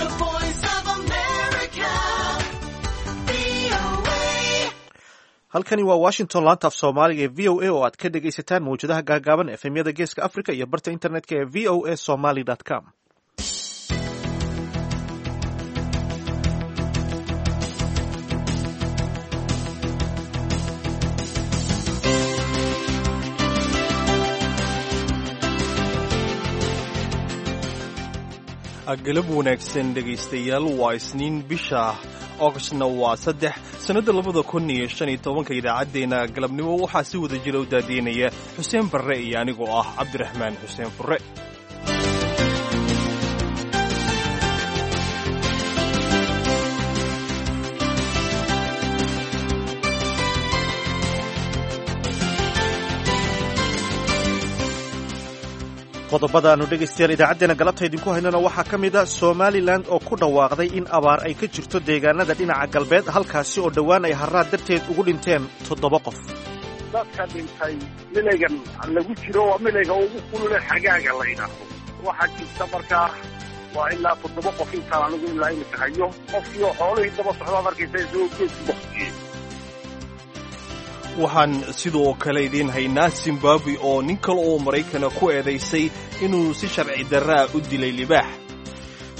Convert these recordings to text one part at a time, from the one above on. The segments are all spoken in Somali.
The Voice of America, VOA. Halkani waa Washington, laanta af Soomaaliga ee VOA oo aad ka dhegaysataan mawjadaha gaagaaban, FM-yada Geeska Africa iyo barta internetka ee voasomali.com. Galab wanaagsan, dhegaystayaal. Waa Isniin, bisha Augustna waa 3, sannadda 2015-ka. Idaacaddeenna galabnimo waxaa si wada jira u daadiinaya Xuseen Barre iyo anigoo ah Cabdiraxmaan Xuseen Furre. Qodobada aanu dhegaystayaal idaacaddeenna galabta idinku haynana waxaa ka mid a Somalilan oo ku dhawaaqday in abaar ay ka jirto deegaanada dhinaca galbeed, halkaasi oo dhowaan ay harraad darteed ugu dhinteen toddoba qof. Dadka dhintay milaygan lagu jiro waa milayga ugu kulule xagaaga la yidhaahdo. Waxaa jirta markaa waa ilaa toddoba qof intaan anigu ilaa imika hayo. Qofkii oo xoolihii daba socdaad arkaysa isagoo geedku baktiyey. Waxaan sidoo kale idiin haynaa Zimbabwe oo nin kale oo Maraykana ku eedaysay inuu si sharci darraa u dilay libaax.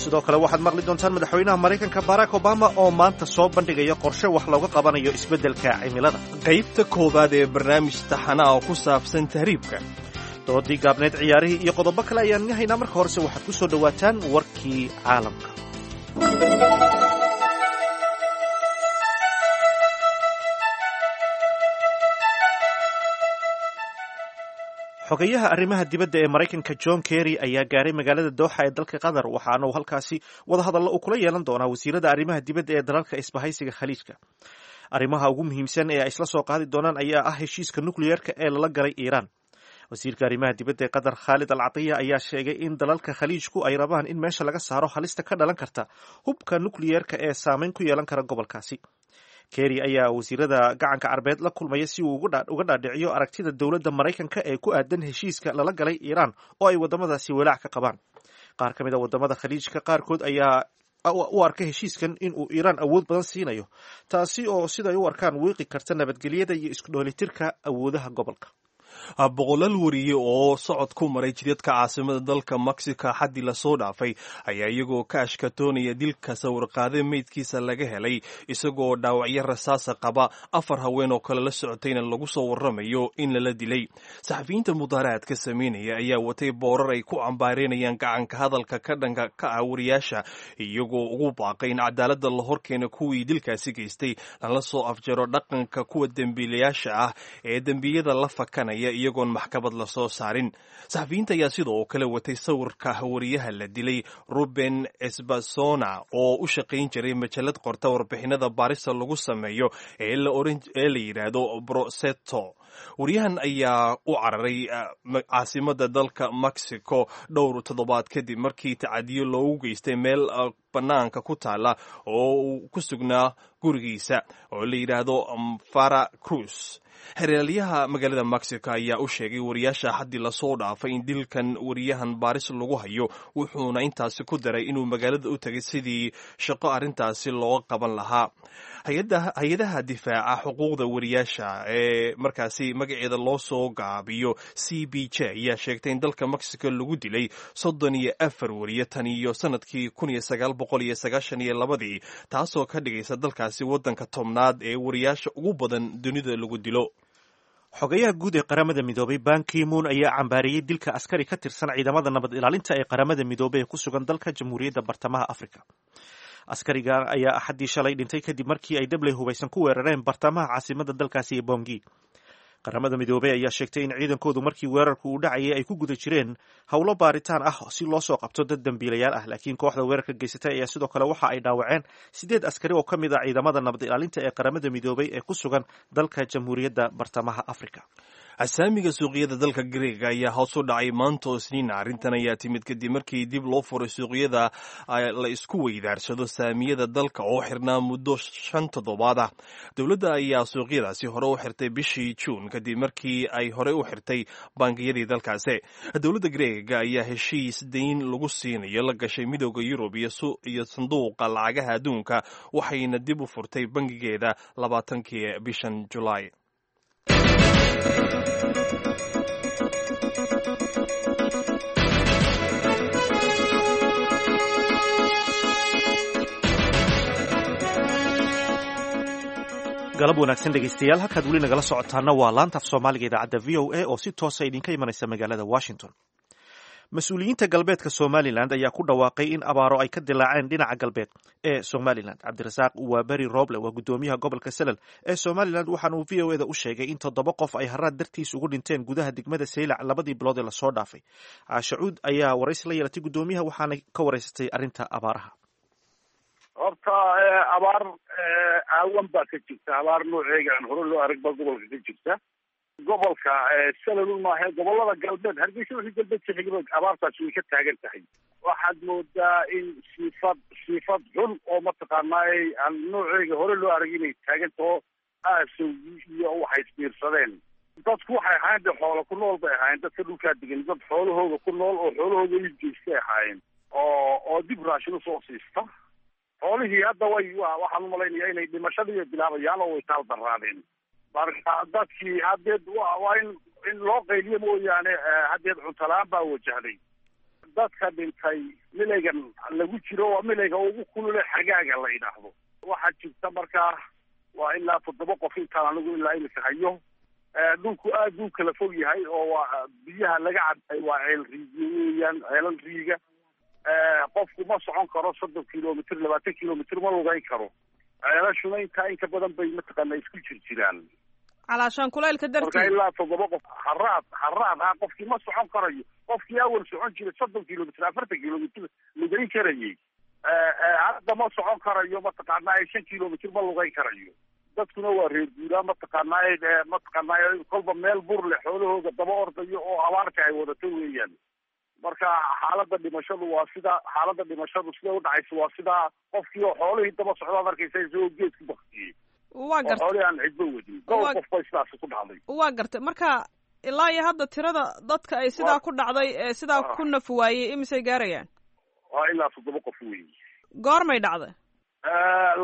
Sidoo kale waxaad maqli doontaan madaxweynaha Maraykanka Barack Obama oo maanta soo bandhigaya qorshe wax looga qabanayo isbeddelka cimilada. Qaybta koowaad ee barnaamij taxanaha ku saabsan tahriibka. Doodii gaabneed, ciyaarihii iyo qodobo kale ayaan idin haynaa. Marka horese waxaad ku soo dhowaataan warkii caalamka. Xogayaha arrimaha dibadda ee Maraykanka John Kerry ayaa gaaray magaalada Dooxa ee dalka Qatar, waxaana uu halkaasi wadahadallo uu kula yeelan doonaa wasiirada arrimaha dibadda ee dalalka Isbahaysiga Khaliijka. Arrimaha ugu muhiimsan ee ay isla soo qaadi doonaan ayaa ah heshiiska nukliyeerka ee lala galay Iiraan. Wasiirka arrimaha dibadda ee Qatar, Khaalid Al Catiya, ayaa sheegay in dalalka Khaliijku ay rabaan in meesha laga saaro halista ka dhalan karta hubka nukliyeerka ee saameyn ku yeelan kara gobolkaasi. Kerry ayaa wasiirada Gacanka Carbeed la kulmaya si uu uga dhaadhiciyo aragtida dowladda Maraykanka ee ku aadan heshiiska lala galay Iiraan oo ay waddamadaasi walaac ka qabaan. Qaar ka mid a waddamada Khaliijka qaarkood ayaa u arka heshiiskan in uu Iiraan awood badan siinayo, taasi oo siday u arkaan wiiqi karta nabadgelyada iyo isku dheelitirka awoodaha gobolka. Boqolaal wariye oo socod ku maray jidadka caasimada dalka Mexico xaddii lasoo dhaafay ayaa iyagoo ka ashkatoonaya dilka sawirqaade meydkiisa laga helay isagoo dhaawacyo rasaasa qaba, afar haween oo kale la socotayna lagu soo waramayo in lala dilay. Saxafiyiinta mudaaharaadka sameynaya ayaa watay boorar ay ku cambaareynayaan gacanka hadalka ka dhanka ka ah wariyaasha, iyagoo ugu baaqay in cadaaladda la horkeeno kuwii dilkaasi geystay, lala soo afjaro dhaqanka kuwa dembiilayaasha ah ee dembiyada la fakanaya iyagoon maxkamad la soo saarin. Saxafiyiinta ayaa sidoo kale watay sawirka wariyaha la dilay, Ruben Esbasona, oo u shaqayn jiray majalad qorta warbixinada baarista lagu sameeyo ee la yidhaahdo Broseto. Wariyahan ayaa u cararay caasimada dalka Mexico dhowr toddobaad kadib markii tacadiyo loogu geystay meel bannaanka ku taala oo uu ku sugnaa gurigiisa oo la yidhaahdo Fara Cruz. Xeraalyaha magaalada Mexico ayaa u sheegay wariyaasha xaddii lasoo dhaafay in dilkan wariyahan baaris lagu hayo, wuxuuna intaasi ku daray inuu magaalada u tegay sidii shaqo arrintaasi looga qaban lahaa. Hay-adaha difaaca xuquuqda wariyaasha ee markaasi magaceeda loo soo gaabiyo CBJ ayaa sheegtay in dalka Mexico lagu dilay 34 wariye tan iyo sanadkii 1992-dii, taasoo ka dhigaysa dalkaasi waddanka 10aad ee wariyaasha ugu badan dunida lagu dilo. Xogayaha guud ee Qaramada Midoobay Ban Ki-moon ayaa cambaariyey dilka askari ka tirsan ciidamada nabad ilaalinta ee Qaramada Midoobay ee ku sugan dalka Jamhuuriyadda Bartamaha Africa. Askariga ayaa Axaddii shalay dhintay kadib markii ay dabley hubaysan ku weerareen bartamaha caasimada dalkaasi ee Bongi. Qaramada Midoobey ayaa sheegtay in ciidankoodu markii weerarku uu dhacayay ay ku guda jireen howlo baaritaan ah si loo soo qabto dad dembiilayaal ah, laakiin kooxda weerarka geysatay ayaa sidoo kale waxa ay dhaawaceen sideed askari oo ka mid ah ciidamada nabad ilaalinta ee Qaramada Midoobey ee ku sugan dalka Jamhuuriyadda Bartamaha Africa. Asaamiga suuqyada dalka Greega ayaa hoos u dhacay maanta oo Isniina. Arrintan ayaa timid kadib markii dib loo furay suuqyada la isku weydaarsado saamiyada dalka oo xirnaa muddo 5 toddobaad ah. Dowladda ayaa suuqyadaasi hore u xirtay bishii Juun kadib markii ay hore u xirtay bangiyadii dalkaasi. Dowladda Greega ayaa heshiis deyn lagu siinayo la gashay Midooda Yurub iyo Sanduuqa Lacagaha Adduunka, waxayna dib u furtay bangigeeda 20-kii bishan Julaay. Galab wanaagsan dhegeystayaal, halkaad weli nagala socotaana waa laanta af Soomaaliga idaacadda VOA oo si toosa idinka imanaysa magaalada Washington. Mas-uuliyiinta galbeedka Somalilan ayaa ku dhawaaqay in abaaro ay ka dilaaceen dhinaca galbeed ee Somalilan. Cabdirasaaq Waaberi Roble waa guddoomiyaha gobolka Salal ee Somalilan, waxaana uu VOA da u sheegay in 7 qof ay haraad dartiis ugu dhinteen gudaha degmada Saylac labadii bilood ee lasoo dhaafay. Caashacuud ayaa waraysi la yeelatay guddoomiyaha, waxaana ka waraysatay arrinta abaaraha. Horta abaar aawan baa ka jirta, abaar nooceega aan hore loo arag baa gobolka ka jirta. Gobolka Salalun maahe, gobolada galbeed, Hargeysa wixii galbeed ka xigba abaartaasi way ka taagan tahay. Waxaad moodaa in siifad xun oo mataqaanaa aan nooceega hore loo arag inay taagan taho, aasowgii iyo waxay isbiirsadeen. Dadku waxay ahaayeen dee xoola ku nool bay ahaayeen. Dadka dhulkaa degan dad xoolahooga ku nool oo xoolahooga iibgeystay ahaayeen oo dib raashin usoo siista. Xoolihii hadda way, waxaan umalaynaya inay dhimashadii bilaabayaan oo way taal daraadeen. Marka dadkii haddeed waa in loo qayliyo mooyaane, haddeed cuntalaan baa wajahday. Dadka dhintay milaygan lagu jiro waa milayga ugu kulule xagaaga la yidhaahdo. Waxaa jirta markaa waa ilaa 7 qof intaan anigu ilaa imika hayo. Dhulku aad buu kala fog yahay oo waa biyaha laga cabay waa ceel riigyo weeyaan, ceelal riiga. Qofku ma socon karo 30 kilomitr, 20 kilomitr ma lugayn karo. Ceelashuna intaa inka badan bay mataqaana isku jir jiraan. Calaashaan kulaylka Marka darteed. ilaa 7 qof haraad haraad ha, qofkii ma socon karayo. Qofkii awal socon jiray 30 kilomitr, 40 kilomitr lugayn karayay, hadda ma socon karayo, mataqaanaa 5 kilomitr ma lugayn karayo. Dadkuna waa reer guuraa, mataqaanaa kolba meel bur leh xoolahooga daba ordayo oo abaarta ay wadato weeyaan. Marka xaaladda dhimashadu waa sida, xaaladda dhimashadu sida u dhacaysa waa sidaa, qofkii oo xoolihii daba socdaad arkaysa isagoo geedku baktiyey Waa oo garta. xoolihii aan cidba wadin. Dhowr qof bay sidaasi ku dhacday. Waa gartay. Marka ilaa iyo hadda tirada dadka ay sidaa ku dhacday ee sidaa ku naf waayey imisay gaarayaan? Waa ilaa 7 qof weey. Goormay dhacday?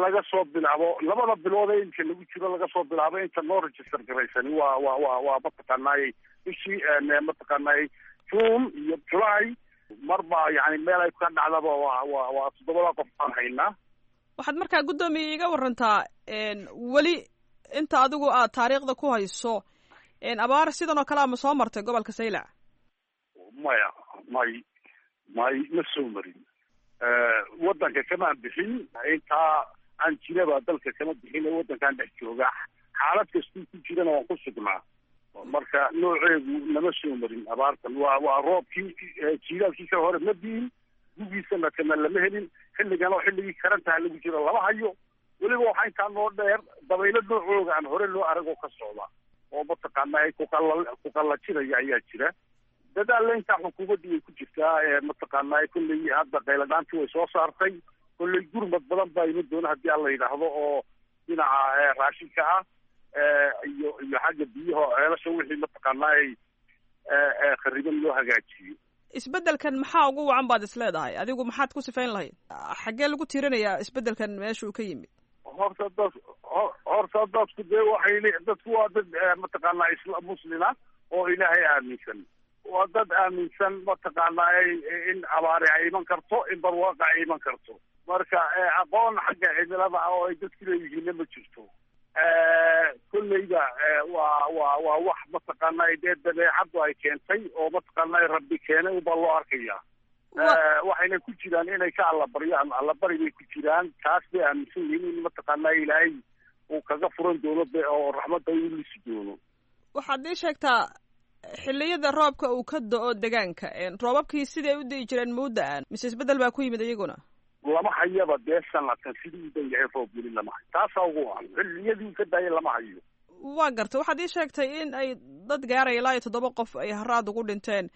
Laga soo bilaabo labada bilood ee imka lagu jiro, laga soo bilaabo inta noo register garaysani waa mataqaanaayey bishii mataqaanaayey June iyo July marba, yani meel ay ka dhacdaba waa 7-da qof baan haynaa. Waxaad markaa guddoomiye iiga warantaa, weli inta adigu aad taariikhda ku hayso, abaar sidan oo kale ama soo martay gobolka Saylac? Maya, may ma soo marin. Waddanka kamaan bixin, intaa aan jiraba dalka kama bixin ee waddankaan dhex jooga, xaalad kastuu ku jirana waan ku sugnaa. Marka nooceegu nama soo marin abaartan. Waa roobkii jiilaalkii ka hore ma diin, gugiisana kana lama helin. Xilligan oo xilligii karantaha lagu jiro lama hayo. Weliba waxaa intaa noo dheer dabaylo noocooga aan hore loo arag oo ka socda oo mataqaanaa kuqallajinaya ayaa jira. Dadaalla intaa xukuumaddu way ku jirtaa, mataqaanaa kolley hadda qayladhaantii way soo saartay. Kolley gurmad badan baa iman doona haddii alla yidhaahdo oo dhinaca raashinka ah iyo xagga biyaha oo ceelasha wixii mataqaanaa khariban loo hagaajiyo. Isbeddelkan maxaa ugu wacan baad is leedahay adigu? Maxaad ku sifayn lahayd? Xaggee lagu tiirinayaa isbeddelkan meesha uu ka yimid? Horta dadku dee waxay dadku waa dad mataqaanaa isla muslima oo Ilaahay aaminsan. Waa dad aaminsan mataqaanaa in abaari ay iman karto, in barwaaqa ay iman karto. Marka aqoon xagga cimilada ah oo ay dadku leeyihiinna ma jirto. Kolleyba waa wax mataqaanaa dee dabeecaddu ay keentay oo mataqaanaa Rabbi keenay ubaa loo arkaya. Waxayna ku jiraan inay ka allabaryaan, allabari bay ku jiraan. Taas bay aaminsan yihiin in mataqaanaa Ilaahay uu kaga furan doono oo raxmadda u lisi doono. Waxaad ii sheegtaa xilliyada roobka uu ka do-o degaanka, roobabkii siday u di'i jireen ma u da-aan mise isbeddel baa ku yimid iyaguna? Lama hayaba dee sanadkan sidii u dan yahay roob weli lama hayo. Taasaa ugu wacan, xilliyadii uu ka daayay lama hayo. Waa garta, waxaad ii sheegtay in ay dad gaaraya ilaa iyo 7 qof ay haraad ugu dhinteen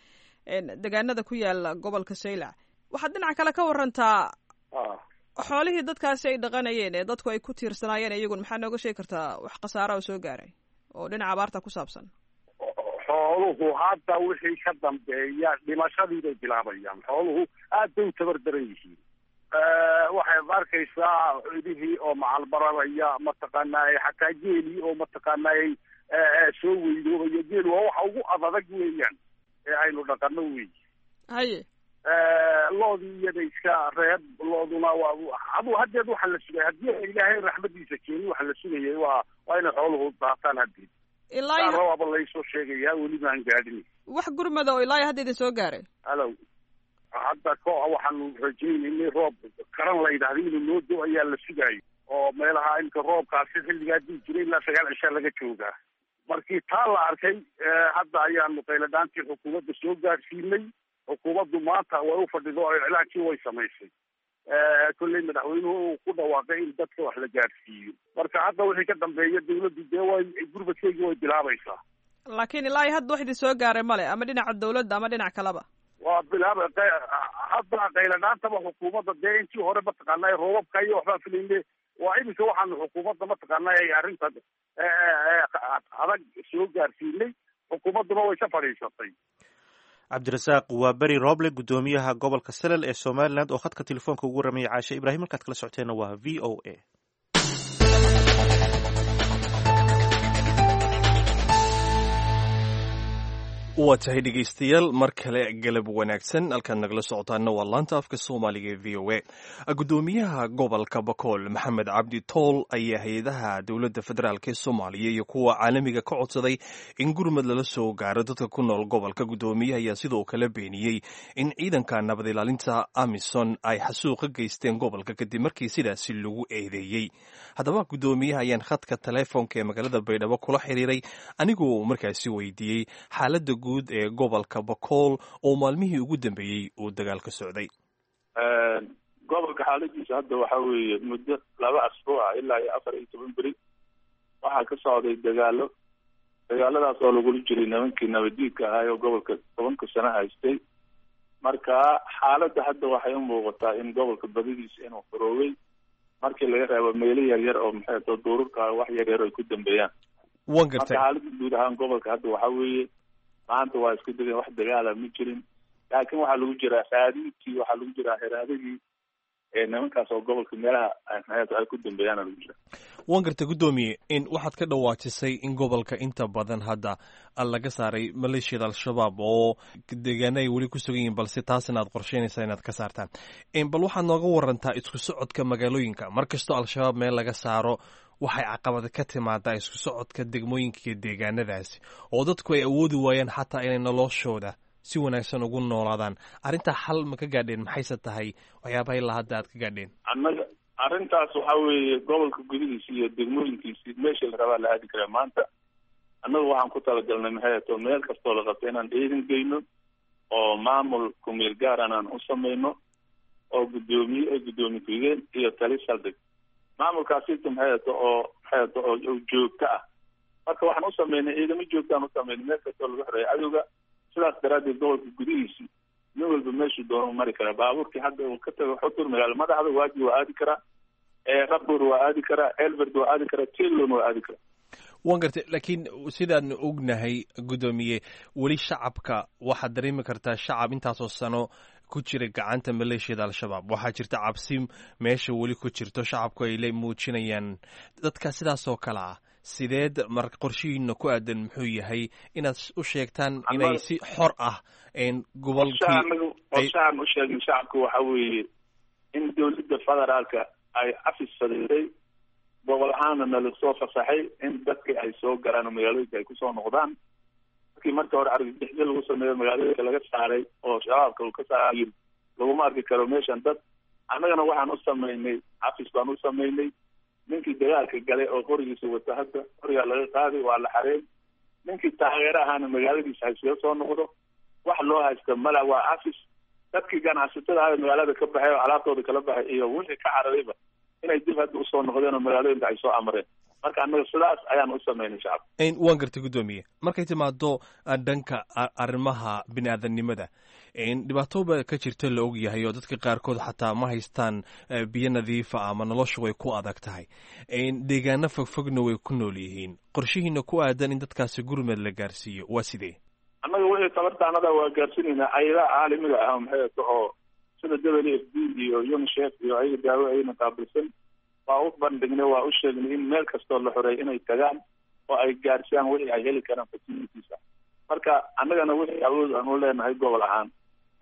degaanada ku yaala gobolka Saylac. Waxaad dhinaca kale ka warantaa xoolihii dadkaasi ay dhaqanayeen ee dadku ay ku tiirsanaayeen iyagun, maxaa nooga sheegi kartaa wax khasaara oo soo gaaray oo dhinaca abaarta ku saabsan? Xooluhu hadda wixii ka dambeeya dhimashadii bay bilaabayaan. Xooluhu aad bay u tabar daran yihiin. Waxaad arkaysaa idihii oo macalbararaya, mataqaanaaye, xataa geelii oo mataqaanaaye soo weydoobaya. Geelu waa waxa ugu adadag weeyaan ee aynu dhaqano wey. Loodii iyada iska reeb, looduna waa adu haddeed waxa la sugaya haddii Ilaahay raxmadiisa keenin, waxa la sugayay waa inay xooluhu daataan haddeed. Ilaa rawaaba laysoo sheegayaa, weli maan gaadhin. Wax gurmada oo ilaa hadda idin soo gaaray? Alow, hadda ko waxaanu rajaynaynay roob karan la yidhahda inuu noo do ayaa la sugaayo, oo meelaha imka roobkaasi xilligaa dii jiray ilaa 9 cishaa laga joogaa. Markii taa la arkay, hadda ayaanu qayladhaantii xukuumadda soo gaadhsiinay. Xukuumaddu maanta way u fadhido oo iclaankii way samaysay. Kolley madaxweynuhu uu ku dhawaaqay in dadka wax la gaadhsiiyo. Marka hadda wixii ka dambeeya dawladdu dee way gurmadkeygii way bilaabaysaa. Laakiin ilaa iyo hadda wax idin soo gaaray male, ama dhinaca dawladda ama dhinac kaleba? Waa bilaaba hadda qayladhaantaba xukuumadda. Dee intii hore mataqaanaa roobabka iyo waxbaa filayne, waa iminka waxaanu xukuumadda mataqaanaa ay arrinta adag soo gaarsiinay, xukuumadduna way ka fadhiisatay. Cabdirasaaq waa Beri Roble, guddoomiyaha gobolka Salal ee Somaliland, oo khadka telefoonka ugu waramayay Caashe Ibraahim. Halkaad kala socoteenna waa VOA. Waa tahay dhegaystayaal, mar kale galab wanaagsan. Halkaad nagala socotaana waa laanta afka Soomaaliga ee VOA. Guddoomiyaha gobolka Bakool, Maxamed Cabdi Tool, ayaa hay-adaha dowladda federaalk ee Soomaaliya iyo kuwa caalamiga ka codsaday in gurmad lala soo gaaro dadka ku nool gobolka. Guddoomiyaha ayaa sidoo kale beeniyey in ciidanka nabad ilaalinta AMISON ay xasuuqa geysteen gobolka, kadib markii sidaasi lagu eedeeyey. Haddaba guddoomiyaha ayaan khadka telefoonka ee magaalada Baydhabo kula xiriiray, anigoo markaasi weydiiyey xaaladda guud ee gobolka Bakool oo maalmihii ugu dambeeyey uu dagaal ka socday. Gobolka xaaladiisa hadda waxa weeye muddo 2 asbuuca ilaa iyo 14 beri waxaa ka socday dagaalo, dagaaladaas oo lagula jiray nimankii nabadiidka ahaay oo gobolka 10-ka sano haystay. Marka xaaladda hadda waxay u muuqataa in gobolka badidiisa inuu xoroobay, markii laga reebo meelo yaryar oo maxay to duurarka wax yaryar ay ku dambeeyaan. Wan gartay. Marka xaaladda guud ahaan gobolka hadda waxa weeye maanta waa isku degeen, wax dagaala ma jirin, laakiin waxaa lagu jiraa raadintii, waxaa lagu jiraa heraadadii ee nimankaas oo gobolka meelaha ay ku dambeeyaana lagu jira. Wan gartay guddoomiye, in waxaad ka dhawaajisay in gobolka inta badan hadda laga saaray maleeshiyada Al-Shabaab oo deegaana ay weli ku sugan yihiin, balse taasna aad qorsheynaysaa inaad ka saartaan. Bal waxaad nooga warantaa isku socodka magaalooyinka. Mar kastoo Al-Shabaab meel laga saaro, waxay caqabad ka timaadaa isku socodka degmooyinka iyo deegaanadaasi, oo dadku ay awoodi waayaan xataa inay noloshooda si wanaagsan ugu noolaadaan. Arrintaa xal ma ka gaadheen? Maxayse tahay waxyaabaha ilaa hadda aad ka gaadheen? Annaga arrintaas waxaa weeye gobolka gudihiisa iyo degmooyinkiisi meesha la rabaa la aadi karaa maanta. Annagu waxaan ku talagalnay maxay ato meel kastoo la qabta inaan ciidan geyno oo maamul kumeel gaaran aan u samayno, oo guddoomiye ay guddoomiye ku-xigeen iyo tali saldhig, maamulkaasita maxay ato oo maxay ato oo joogto ah. Marka waxaan u sameynay ciidamo joogtaan u sameynay meel kastoo lagu xoreeyo cadowga. Sidaas daraaddeed gobolka gudihiisi nin walba meeshuu doono mari karaa. Baabuurkii hadda uu ka tago Xutur, magaalo madaxda, Waaji waa aadi karaa, Rabur waa aadi karaa, Elberd waa aadi karaa, Tilon waa aadi karaa. Wan gartay, laakiin sidaanu ognahay guddoomiye, weli shacabka waxaad dareemi kartaa shacab intaasoo sano ku jira gacanta maleeshiyada Al-Shabaab, waxaa jirta cabsi meesha weli ku jirto, shacabku ay la muujinayaan. Dadka sidaas oo kale ah, sideed mar qorshihiina ku aadan muxuu yahay inaad u sheegtaan inay si xor ah gobolkii? Qorshahaan u sheegnay shacabka waxa weeye in dowladda federaalka ay afis fadhiisay, gobol ahaana nala soo fasaxay in dadka ay soo galaan oo magaalooyinka ay kusoo noqdaan. Markii marka hore argagixisyo lagu sameeyo magaalooyinka laga saaray oo Shabaabka uu ka saaray, laguma arki karo meeshan dad. Annagana waxaan u samaynay cafis baan u samaynay. Ninkii dagaalka galay oo qorigiisa wata hadda qorigaa laga qaaday, waa la xareey. Ninkii taageero ahaana magaaladiisa hayskaga soo noqdo, wax loo haysta mala, waa cafis. Dadkii ganacsatada ahaa magaalada ka baxay oo alaabtooda kala baxay iyo wixii ka cararayba inay dib hadda usoo noqdeen oo magaalooyinka ay soo amreen. Marka annaga sidaas ayaan u sameynay shacabka. Waan gartay, guddoomiye. Markay timaado dhanka arrimaha bini-aadamnimada, dhibaato ba ka jirta la og yahay oo dadka qaarkood xataa ma haystaan biyo nadiifa ama noloshu way ku adag tahay, deegaano fogfogna way ku nool yihiin. Qorshihiina ku aadan in dadkaasi gurmed la gaarsiiyo waa sidee? Annaga wixii tabartaanada waa gaarsiinaynaa. Ayadaha caalamiga ah, maxay ato, oo sida WFP iyo UNICEF iyo ayaga daawo ayna qaabilsan waa u bandhignay, waa u sheegnay in meel kastoo la xoreey inay tagaan oo ay gaarsiiyaan wixii ay heli karaan facilitiesa. Marka annagana wixii awood aan u leenahay gobol ahaan,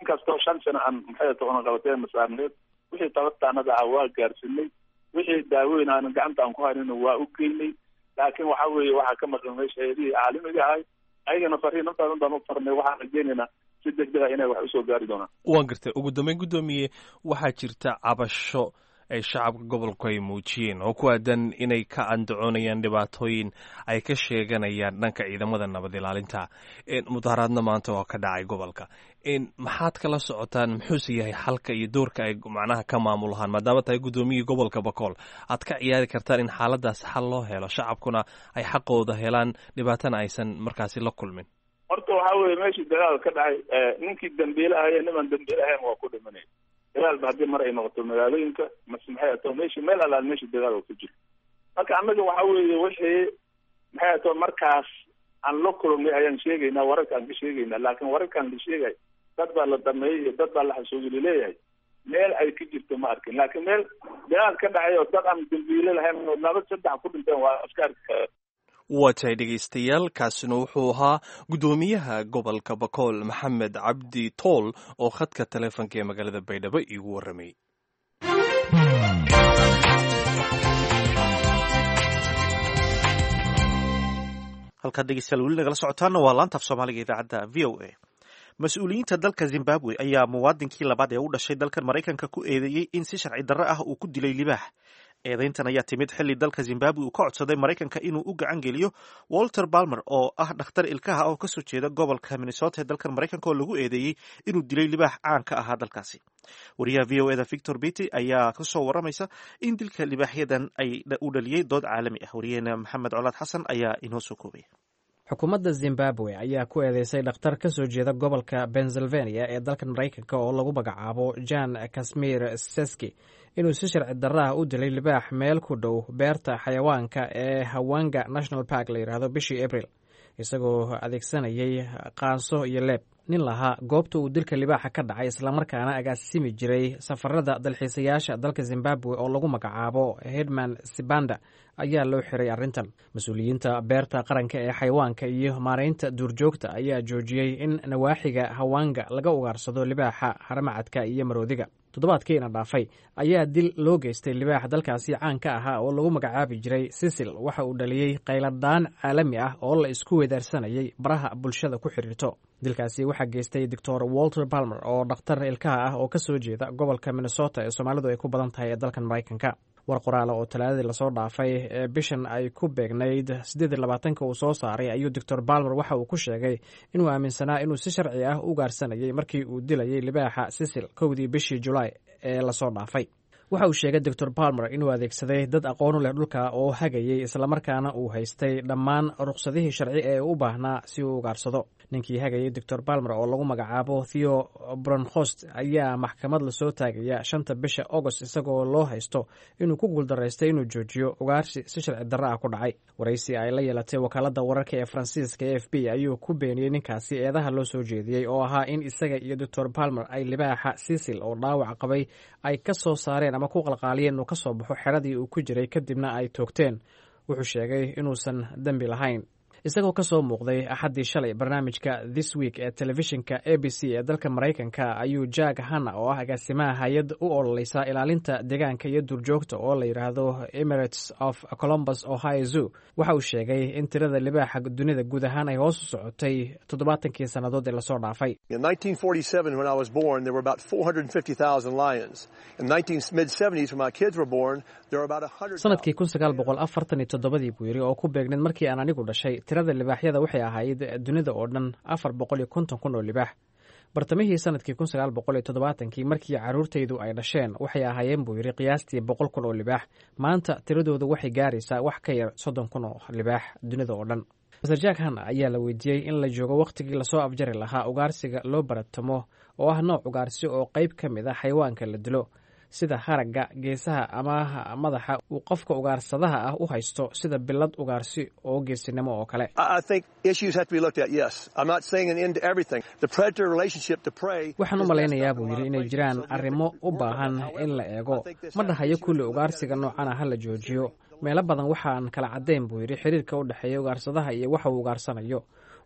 inkastoo 5 sano aan, maxay ato, unaqabateen masaarneed, wixii tabartaanada ah waa gaarsiinay, wixii daaweyn aanan gacanta aan ku haynina waa u geynay. Laakiin waxa weeye waxaa ka maqan meesha hayadihii caalamiga ahay. Ayagana fariin intaadan baan u farnay, waxaan rajeynaynaa si degdeg ah inay wax usoo gaari doonaan. Waan gartay. Ugu dambeyn, guddoomiye, waxaa jirta cabasho ay shacabka gobolku ay muujiyeen oo ku aadan inay ka andacoonayaan dhibaatooyin ay ka sheeganayaan dhanka ciidamada nabad ilaalinta. Mudaharaadna maanta oo ka dhacay gobolka, maxaad kala socotaan? Muxuuse yahay xalka iyo doorka ay macnaha ka maamulahaan, maadaama tahay guddoomiyihii gobolka Bakool, aad ka ciyaari kartaan in xaaladaas xal loo helo, shacabkuna ay xaqooda helaan, dhibaatana aysan markaasi la kulmin? Horta waxaa weeye meeshii dagaal ka dhacay, ninkii dambiile ahaye, nimaan dambiile ahayn waa ku dhimanay. Dagaalba haddii mar ay noqoto magaalooyinka mase, maxay ato, meeshii meel alaal meeshii dagaal oo ku jiro. Marka annaga waxa weeye wixii, maxay ato, markaas aan la kulannay ayaan sheegaynaa, wararka aan ka sheegaynaa. Laakiin wararkaan la sheegay dad baa la dhameeyey iyo dad baa la xasuugili leeyahay, meel ay ka jirto ma arkin. Laakiin meel dagaal ka dhacay oo dad aan dambiile lahayn oo laba saddex ku dhinteen waa iska arki kara. Waa tahay, dhegaystayaal, kaasina wuxuu ahaa guddoomiyaha gobolka Bakool, Maxamed Cabdi Tool, oo khadka taleefonka ee magaalada Baydhabo iigu warramay. Halkaad, dhegeystayaal, weli nagala socotaana waa laanta af Soomaaliga idaacadda VOA. Mas-uuliyiinta dalka Zimbabwe ayaa muwaadinkii labaad ee u dhashay dalkan Maraykanka ku eedeeyey in si sharci darro ah uu ku dilay libaax. Eedeyntan ayaa timid xilli dalka Zimbabwe uu ka codsaday Maraykanka inuu u gacan geliyo Walter Palmer, oo ah dhakhtar ilkaha oo kasoo jeeda gobolka Minnesota ee dalkan Maraykanka, oo lagu eedeeyey inuu dilay libaax caan ka ahaa dalkaasi. Wariyaha VOA da Victor Bity ayaa kasoo waramaysa in dilka libaaxyadan ay u dhaliyey dood caalami ah. Wariyaheena Maxamed Colaad Xasan ayaa inoo soo koobaya. Xukuumadda Zimbabwe ayaa ku eedeysay dhakhtar ka soo jeeda gobolka Pennsylvania ee dalkan Maraykanka oo lagu magacaabo Jan Kasmir Seski inuu si sharci darraah u dilay libaax meel ku dhow beerta xayawaanka ee Hawanga National Park la yidhaahdo bishii Abril, isagoo adeegsanayay qaanso iyo leeb. Nin lahaa goobta uu dilka libaaxa ka dhacay, islamarkaana agaasimi jiray safarada dalxiisayaasha dalka Zimbabwe oo lagu magacaabo Hedman Sibanda, ayaa loo xiray arrintan. Mas-uuliyiinta beerta qaranka ee xayawaanka iyo maaraynta duurjoogta ayaa joojiyey in nawaaxiga Hawanga laga ugaarsado libaaxa, haramacadka iyo maroodiga. Toddobaadkiina dhaafay ayaa dil loo geystay libaax dalkaasi caan ka ahaa oo lagu magacaabi jiray Sisil waxa uu dhaliyey qayladaan caalami ah oo la isku wedaarsanayay baraha bulshada ku xidhiirto. Dilkaasi waxaa geystay Doctor Walter Palmer, oo dhakhtar ilkaha ah oo kasoo jeeda gobolka Minnesota ee Soomaalidu ay ku badan tahay ee dalkan Maraykanka. War qoraala oo Talaadadii lasoo dhaafay ee bishan ay ku beegnayd 28-ka uu soo saaray ayuu Doctor Palmer waxa uu ku sheegay inuu aaminsanaa inuu si sharci ah u gaarsanayay markii uu dilayay libaaxa Sisil 1-dii bishii Julaay ee lasoo dhaafay. Waxa uu sheegay Doctor Palmer inuu adeegsaday dad aqoon u leh dhulka oo hagayay, islamarkaana uu haystay dhammaan ruqsadihii sharci ee u baahnaa si uu ugaarsado. Ninkii hagayay Doctor Palmer oo lagu magacaabo Theo Bronhost ayaa maxkamad lasoo taagaya 5-ta bisha Agost, isagoo loo haysto inuu ku guuldaraystay inuu joojiyo ugaarsi si sharci darro ah ku dhacay. Waraysi ay la yeelatay wakaaladda wararka ee Faransiiska AFP ayuu ku beeniyey ninkaasi eedaha loo soo jeediyey oo ahaa in isaga iyo Doctor Palmer ay libaaxa Sisil oo dhaawac qabay ay ka soo saareen ama ku qalqaaliyeen inuu ka soo baxo xeradii uu ku jiray, kadibna ay toogteen. Wuxuu sheegay inuusan dembi lahayn. Isagoo ka soo muuqday Axaddii shalay barnaamijka This Week ee telefishinka ABC ee dalka Maraykanka ayuu Jack Hanna, oo ah agaasimaha hay-ad u ololeysa ilaalinta deegaanka iyo duurjoogta oo la yidhaahdo Emirates of Columbus Ohio Zoo, waxa uu sheegay in tirada libaaxa dunida guud ahaan ay hoos u socotay 70-kii sannadood ee lasoo dhaafay. In 1947, when I was born, there were about 450,000 lions. In mid-70s, when my kids were born, there were about 100,000. Sanadkii 1947-dii, buu yidhi, oo ku beegneed markii aan anigu dhashay, tirada libaaxyada waxay ahayd dunida oo dhan 450,000 oo libaax. Bartamihii sanadkii 1970-kii, markii carruurtaydu ay dhasheen, waxay ahaayeen, buu yidhi, qiyaastii 100,000 oo libaax. Maanta tiradoodu waxay gaaraysaa wax ka yar 30,000 oo libaax dunida oo dhan. Master Jack Hanna ayaa la weydiiyey in la joogo wakhtigii lasoo afjari lahaa ugaarsiga loo baratamo, oo ah nooc ugaarsi oo qayb ka mid ah xayawaanka la dilo, sida haragga, geesaha ama madaxa, uu qofka ugaarsadaha ah u haysto sida bilad ugaarsi oo geesinimo oo kale. I think issues have to be looked at, yes. I'm not saying an end to everything. The predator relationship to prey. Waxaan u malaynayaa, buu yidhi, inay jiraan arrimo u baahan in la eego. Ma dhahayo kulli ugaarsiga noocana ha la joojiyo. Meelo badan waxaan kala caddayn, buu yidhi, xiriirka u dhexeeya ugaarsadaha iyo waxa uu ugaarsanayo.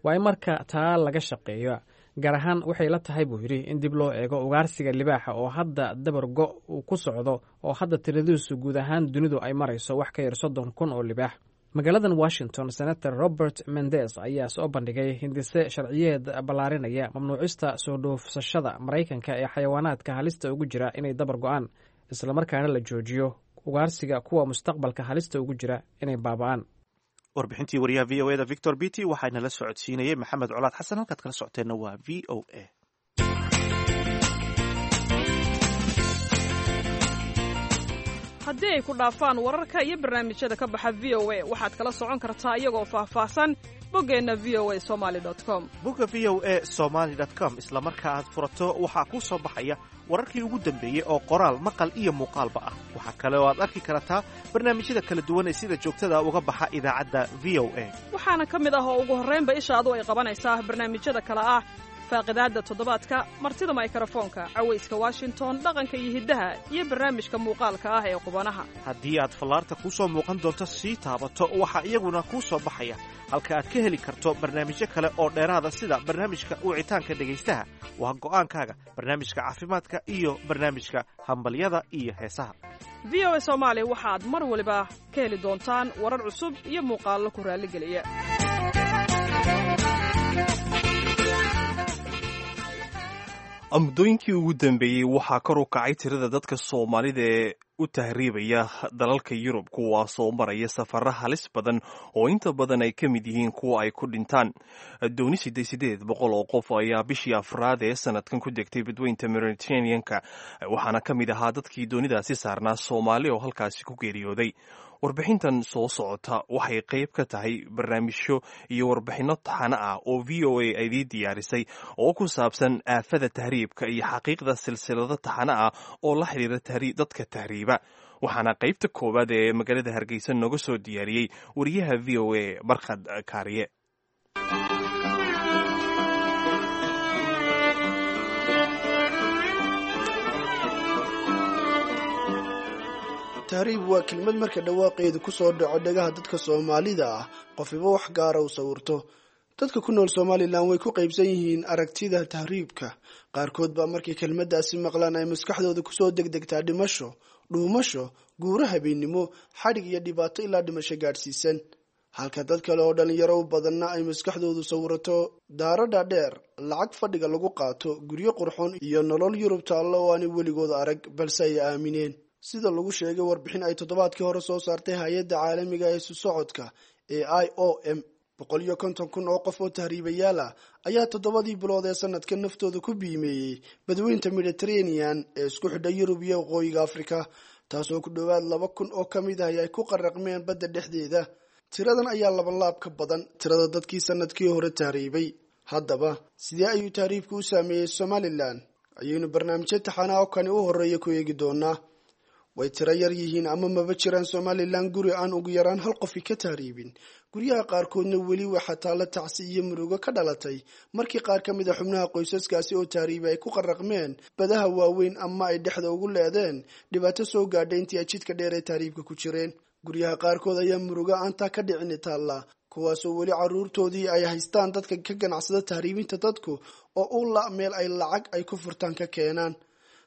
Waa in marka taa laga shaqeeyo. Gaar ahaan waxay la tahay, buu yidhi, in dib loo eego ugaarsiga libaaxa oo hadda dabar go' uu ku socdo, oo hadda tiradiisu guud ahaan dunidu ay marayso wax ka yar 30,000 oo libaax. Magaaladan Washington, Senator Robert Mendez ayaa soo bandhigay hindise sharciyeed ballaarinaya mamnuucista soo dhoofsashada Maraykanka ee xayawaanaadka halista ugu jira inay dabar go'aan, islamarkaana la joojiyo ugaarsiga kuwa mustaqbalka halista ugu jira inay baaba'aan. Warbixintii wariyaha VOA da Victor Beattie waxaana la socodsiinayay Maxamed Colaad Xasan. Halkaad kala socoteenna waa VOA. Haddii ay ku dhaafaan wararka iyo barnaamijyada ka baxa VOA, waxaad kala socon kartaa iyagoo faahfaahsan boggeenna voasomali com. Bogga voasomali com isla marka aad furato waxaa kuu soo baxaya wararkii ugu dambeeyey oo qoraal, maqal iyo muuqaalba ah. Waxaa kale oo aad arki kartaa barnaamijyada kala duwan ee sida joogtada uga baxa idaacadda VOA. Waxaana ka mid ah oo ugu horraynba ishaadu ay qabanaysaa barnaamijyada kale ah: Faaqidaadda Toddobaadka, Martida Maykarafoonka, Cawayska Washington, Dhaqanka iyo Hiddaha iyo barnaamijka muuqaalka ah ee Qubanaha. Haddii aad fallaarta kuu soo muuqan doonto sii taabato, waxaa iyaguna kuu soo baxaya halka aad ka heli karto barnaamijyo kale oo dheeraada, sida barnaamijka wicitaanka dhegaystaha, Waa Go'aankaaga, barnaamijka caafimaadka iyo barnaamijka Hambalyada iyo Heesaha. VOA Soomaali waxaad mar waliba ka heli doontaan warar cusub iyo muuqaallo ku raalligeliya. Muddooyinkii ugu dambeeyey waxaa kor u kacay tirada dadka Soomaalida ee u tahriibaya dalalka Yurub, kuwaasoo maraya safara halis badan oo inta badan ay ka mid yihiin kuwa ay ku dhintaan. Dooni 800 oo qof ayaa bishii afraad ee sanadkan ku degtay badweynta Mediterranean-ka, waxaana ka mid ahaa dadkii doonidaasi saarnaa Soomaali oo halkaasi ku geeriyooday. Warbixintan soo socota waxay qayb ka tahay barnaamijyo iyo warbixinno taxano ah oo VOA ay diyaarisay oo ku saabsan aafada tahriibka iyo xaqiiqda, silsilado taxano ah oo la xiriira dadka tahriiba. Waxaana qaybta koowaad ee magaalada Hargeysa nooga soo diyaariyey wariyaha VOA Barkhad Kaariye. Tahriib waa kelmad marka dhawaaqeedu ku soo dhaco dhagaha dadka Soomaalida ah qofiba wax gaara u sawirto. Dadka ku nool Somaliland way ku qaybsan yihiin aragtida tahriibka. Qaarkood baa markay kelmaddaasi maqlaan ay maskaxdooda kusoo degdegtaa dhimasho, dhuumasho, guuro habeennimo, xadhig iyo dhibaato ilaa dhimasho gaadhsiisan, halka dad kale oo dhalinyaro u badanna ay maskaxdoodu sawirato daaro dhaadheer, lacag fadhiga lagu qaato, guryo qurxoon iyo nolol Yurub taallo oo aanay weligood arag balse ay aamineen. Sida lagu sheegay warbixin ay toddobaadkii hore soo saartay hay-adda caalamiga ee isu socodka ee IOM, 150,000 oo qof oo tahriibayaal ah ayaa 7dii bilood ee sanadka naftooda ku biimeeyey badweynta Mediterranean ee isku xidha Yurub iyo waqooyiga Afrika, taasoo ku dhowaad 2,000 oo ka mid ahi ay ku qaraqmeen badda dhexdeeda. Tiradan ayaa labanlaab ka badan tirada dadkii sanadkii hore tahriibay. Haddaba sidee ayuu tahriibku u saameeyey Somaliland? Ayaynu barnaamijyo taxanaa oo kani u horeeya ku eegi doonaa. Way tiro yar yihiin ama maba jiraan Somaliland guri aan ugu yaraan hal qofi ka tahriibin. Guryaha qaarkoodna weli waxaa taalla tacsi iyo murugo ka dhalatay markii qaar ka mid a xubnaha qoysaskaasi oo tahriibay ay ku qaraqmeen badaha waaweyn ama ay dhexda ugu leedeen dhibaato soo gaadhay intii ay jidka dheer ee tahriibka ku jireen. Guryaha qaarkood ayaa murugo aantaa ka dhicini taalla, kuwaasoo weli caruurtoodii ay haystaan dadka ka ganacsada tahriibinta dadku oo u la meel ay lacag ay ku furtaan ka keenaan.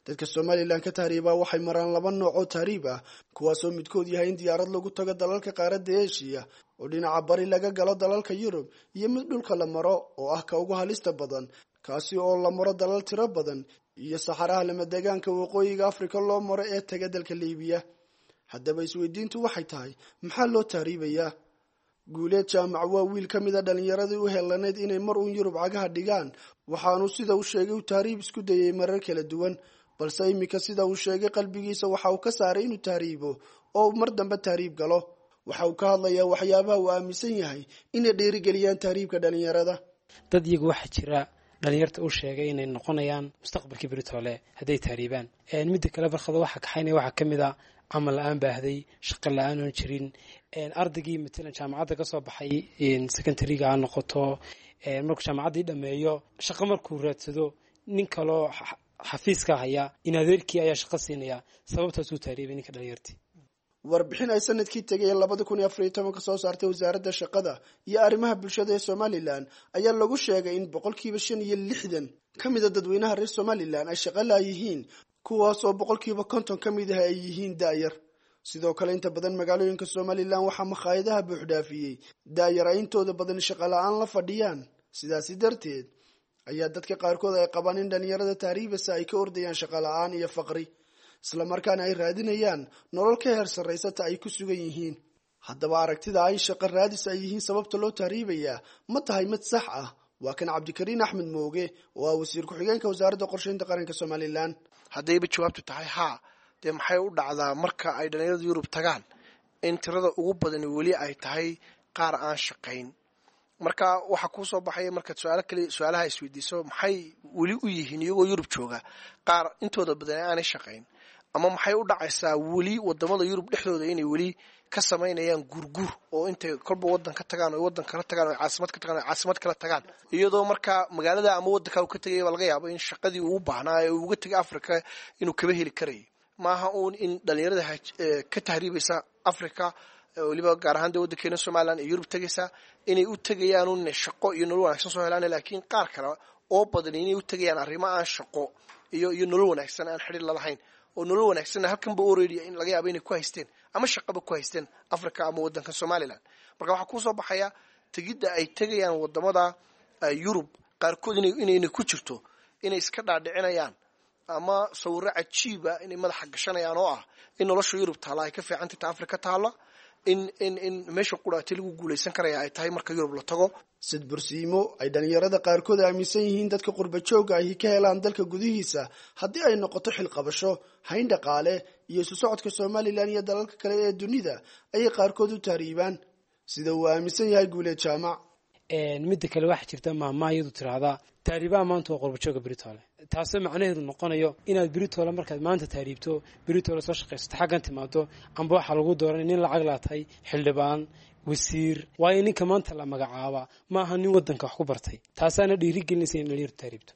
Dadka Somaliland ka tahriibaa waxay maraan laba nooc oo tahriib ah, kuwaasoo midkood yahay in diyaarad lagu tago dalalka qaaradda Eshiya oo dhinaca bari laga galo dalalka Yurub, iyo mid dhulka la maro oo ah ka ugu halista badan, kaasi oo la maro dalal tiro badan iyo saxaraha lamadegaanka waqooyiga Afrika loo maro ee taga dalka Liibiya. Haddaba isweydiintu waxay tahay, maxaa loo tahriibayaa? Guuleed Jaamac waa wiil ka mid a dhallinyaradii u helanayd inay mar uun Yurub cagaha dhigaan. Waxaanu sida uu sheegay uu tahriib isku dayay marar kala duwan, balse iminka sida uu sheegay qalbigiisa waxa uu ka saaray inuu tahriibo oo uu mar dambe tahriib galo. Waxa uu ka hadlayaa waxyaabaha uu aaminsan yahay inay dhiirigeliyaan tahriibka dhallinyarada. Dad iyagu waxaa jira dhalinyarta u sheegay inay noqonayaan mustaqbalkii beritoole hadday tahriibaan. Midda kale, Barkhado, waxaa kaxaynaya waxaa ka mid a camal la-aan baahday, shaqo la-aan oon jirin. Ardaygii matalan jaamacadda ka soo baxay, secondary-ga ha noqoto, markuu jaamacaddii dhammeeyo shaqo markuu raadsado, nin kaloo xafiiska haya in adeerkii ayaa shaqo siinaya. Sababtaasuu tahriibay ninka dhalinyartii. Warbixin ay sanadkii tegay 2014 soo saartay wasaaradda shaqada iyo arrimaha bulshada ee Somalilan ayaa lagu sheegay in 65% ka mida dadweynaha reer Somalilan ay shaqo laayihiin, kuwaas oo 50% ka mid ah ay yihiin da'yar. Sidoo kale, inta badan magaalooyinka Somalilan waxaa makhaayadaha buuxdhaafiyey da'yar ay intooda badan shaqo la-aan la fadhiyaan. Sidaasi darteed ayaa dadka qaarkood ay qabaan in dhalinyarada tahriibasa ay ka ordayaan shaqo la-aan iyo faqri, islamarkaana ay raadinayaan nolol ka heer sarraysata ay ku sugan yihiin. Haddaba aragtida ay shaqo raadis ay yihiin sababta loo tahriibayaa ma tahay mid sax ah? Waa kan Cabdikariin Axmed Mooge oo ah wasiir ku-xigeenka wasaaradda qorsheynta qaranka Somalilan. Haddayba jawaabtu tahay haa, dee maxay u dhacdaa marka ay dhalinyarada Yurub tagaan in tirada ugu badani weli ay tahay qaar aan shaqayn? Marka waxaa kuu soo baxaya markaad su-aalo kale su-aalaha isweydiiso, maxay weli u yihiin iyagoo Yurub jooga qaar intooda badan aanay shaqayn? Ama maxay u dhacaysaa weli wadamada Yurub dhexdooda inay weli ka samaynayaan guurguur oo intay kolba wadan ka tagaan oo wadan kala tagaan oo caasimad ka tagaan oo caasimad kala tagaan, iyadoo markaa magaalada ama wadanka uu ka tegay baa laga yaabo in shaqadii uu baahnaa ee uu uga tegay Africa inuu kaba heli karayay? Maaha uun in dhalinyarada ka tahriibaysa Africa, weliba gaar ahaan dee waddankeena Somaliland ee Yurub tegaysa, inay u tegayaan un shaqo iyo nolol wanaagsan soo helaan, laakiin qaar kale oo badan inay u tegayaan arrimo aan shaqo iyo nolol wanaagsan aan xidhiir lalahayn, oo nolol wanaagsanna halkanba already in laga yaabo inay ku haysteen ama shaqaba ku haysteen Africa ama waddanka Somaliland. Marka waxaa kusoo baxaya tegidda ay tegayaan wadamada Yurub qaarkood inayna ku jirto inay iska dhaadhicinayaan ama sawirro cajiiba inay madaxa gashanayaan oo ah in nolosha Yurub taalla ay ka fiicantay ta Africa taalla, in meesha quraati lagu guulaysan karaya ay tahay marka Yurub la tago. Sidbursiimo ay dhalinyarada qaarkood aaminsan yihiin dadka qurba joogga ahi ka helaan dalka gudihiisa haddii ay noqoto xilqabasho, hayn dhaqaale iyo isu socodka Somalilan iyo dalalka kale ee dunida ayay qaarkood u tahriibaan, sida uu aaminsan yahay Guuleed Jaamac. Midda kale, waxaa jirta maahmaah iyadu tiraahdaa tahriibaha maanta waa qurbajooga beritoole, taasoo macnaheedu noqonayo inaad beritoole markaad maanta tahriibto, beritoole soo shaqaysato, xaggan timaado, amba waxaa lagu dooranay nin lacag laatay, xildhibaan, wasiir. Waayo, ninka maanta la magacaaba maaha nin waddanka wax ku bartay. Taasaana dhiirigelinaysa in dhalinyartu tahriibto.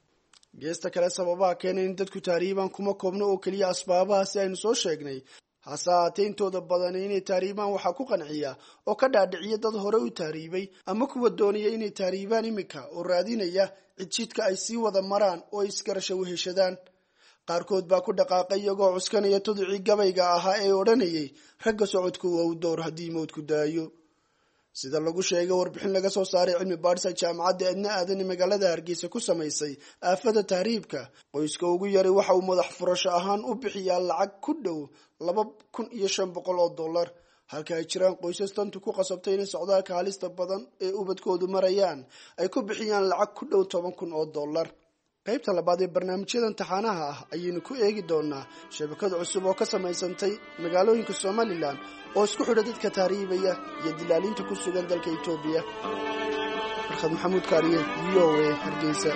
Geesta kale, sababaha keenay in dadku tahriibaan kuma koobno oo keliya asbaabaha si aynu soo sheegnay. Hase haatee intooda badani inay tahriibaan waxaa ku qanciya oo ka dhaadhiciya dad hore u tahriibay ama kuwa doonaya inay tahriibaan iminka oo raadinaya cidjidka ay sii wada maraan oo ay isgarasho weheshadaan. Qaarkood baa ku dhaqaaqay iyagoo cuskanaya tudicii gabayga ahaa ee odhanayay ragga socodku waa u door haddii mowdku daayo. Sida lagu sheegay warbixin laga soo saaray cilmi baadhis ay jaamacadda Edna Aadan ee magaalada Hargeysa ku samaysay aafada tahriibka, qoyska ugu yaray waxa uu madax furasho ahaan u bixiyaa lacag ku dhow $2,500, halka ay jiraan qoysas tantu ku qasabtay inay socdaalka halista badan ee ubadkoodu marayaan ay ku bixiyaan lacag ku dhow $10,000. Qaybta labaad ee barnaamijyada imtixaanaha ah ayaynu ku eegi doonaa shabakad cusub oo ka samaysantay magaalooyinka Somalilan oo isku xidha dadka tahriibaya iyo dilaaliinta ku sugan dalka Itoobiya. Barkhad Maxamuud Kaariye, VOA, Hargeysa.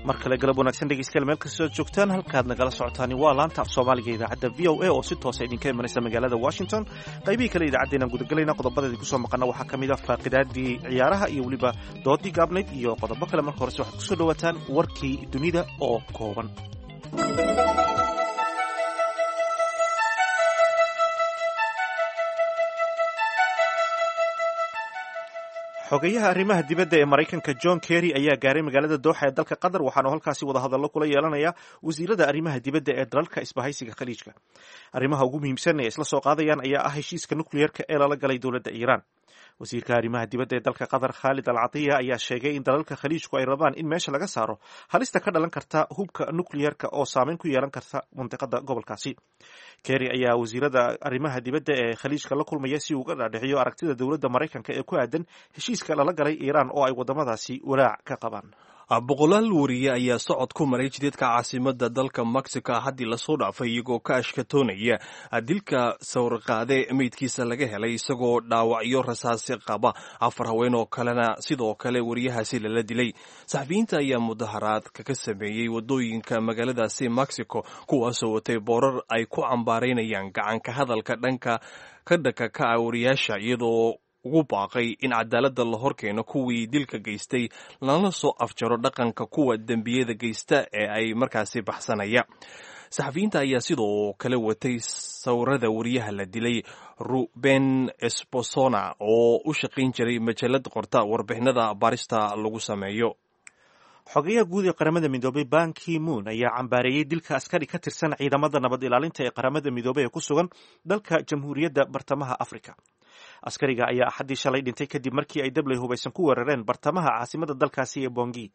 Mar kale galab wanaagsan dhegeystayaal, meel kastoo joogtaan. Halkaad nagala socotaani waa laanta af Soomaaliga idaacadda VOA oo si toosa idinka imanaysa magaalada Washington. Qaybihii kale idaacaddeenaan gudagelayna. Qodobada idinku soo maqana waxaa ka mid ah faaqidaadii ciyaaraha iyo weliba doodii gaabnayd iyo qodobo kale. Marka horese waxaad kusoo dhawaataan warkii dunida oo kooban. Xogayaha arrimaha dibadda ee Maraykanka John Kerry ayaa gaaray magaalada Dooxa ee dalka Qatar, waxaana halkaasi wadahadallo kula yeelanaya wasiirada arrimaha dibadda ee dalalka isbahaysiga Khaliijka. Arrimaha ugu muhiimsan ee isla soo qaadayaan ayaa ah heshiiska nukliyeerka ee lala galay dowladda Iiraan. Wasiirka arrimaha dibadda ee dalka Qatar, Khaalid Al Catiya, ayaa sheegay in dalalka Khaliijku ay rabaan in meesha laga saaro halista ka dhalan karta hubka nukliyeerka oo saameyn ku yeelan karta mandiqada gobolkaasi. Kerry ayaa wasiirada arrimaha dibadda ee Khaliijka la kulmaya si uu uga dhaadhiciyo aragtida dowladda Maraykanka ee ku aadan heshiiska lala galay Iiraan oo ay waddamadaasi walaac ka qabaan. Boqolaal wariye ayaa socod ku maray jidadka caasimada dalka Mexico haddii lasoo dhaafay, iyagoo ka ashkatoonaya dilka sawirqaade meydkiisa laga helay isagoo dhaawacyo rasaasi qaba. Afar haween oo kalena sidoo kale wariyahaasi lala dilay. Saxafiyiinta ayaa mudaharaad kaga sameeyey wadooyinka magaaladaasi Mexico, kuwaasoo watay boorar ay ku cambaaraynayaan gacanka hadalka dhanka ka dhanka ka ah wariyaasha, iyadoo ugu baaqay in cadaaladda la horkeeno kuwii dilka geystay, lana soo afjaro dhaqanka kuwa dembiyada geysta ee ay markaasi baxsanaya. Saxafiyiinta ayaa sidoo kale watay sawirada wariyaha la dilay, Ruben Esposona, oo u shaqayn jiray majalad qorta warbixinada baarista lagu sameeyo. Xogayaha guud ee Qaramada Midoobay Ban Ki Moon ayaa cambaareeyey dilka askari ka tirsan ciidamada nabad ilaalinta ee Qaramada Midoobay ee ku sugan dalka Jamhuuriyadda Bartamaha Afrika. Askariga ayaa Axaddii shalay dhintay kadib markii ay dabley hubaysan ku weerareen bartamaha caasimada dalkaasi ee Bongi.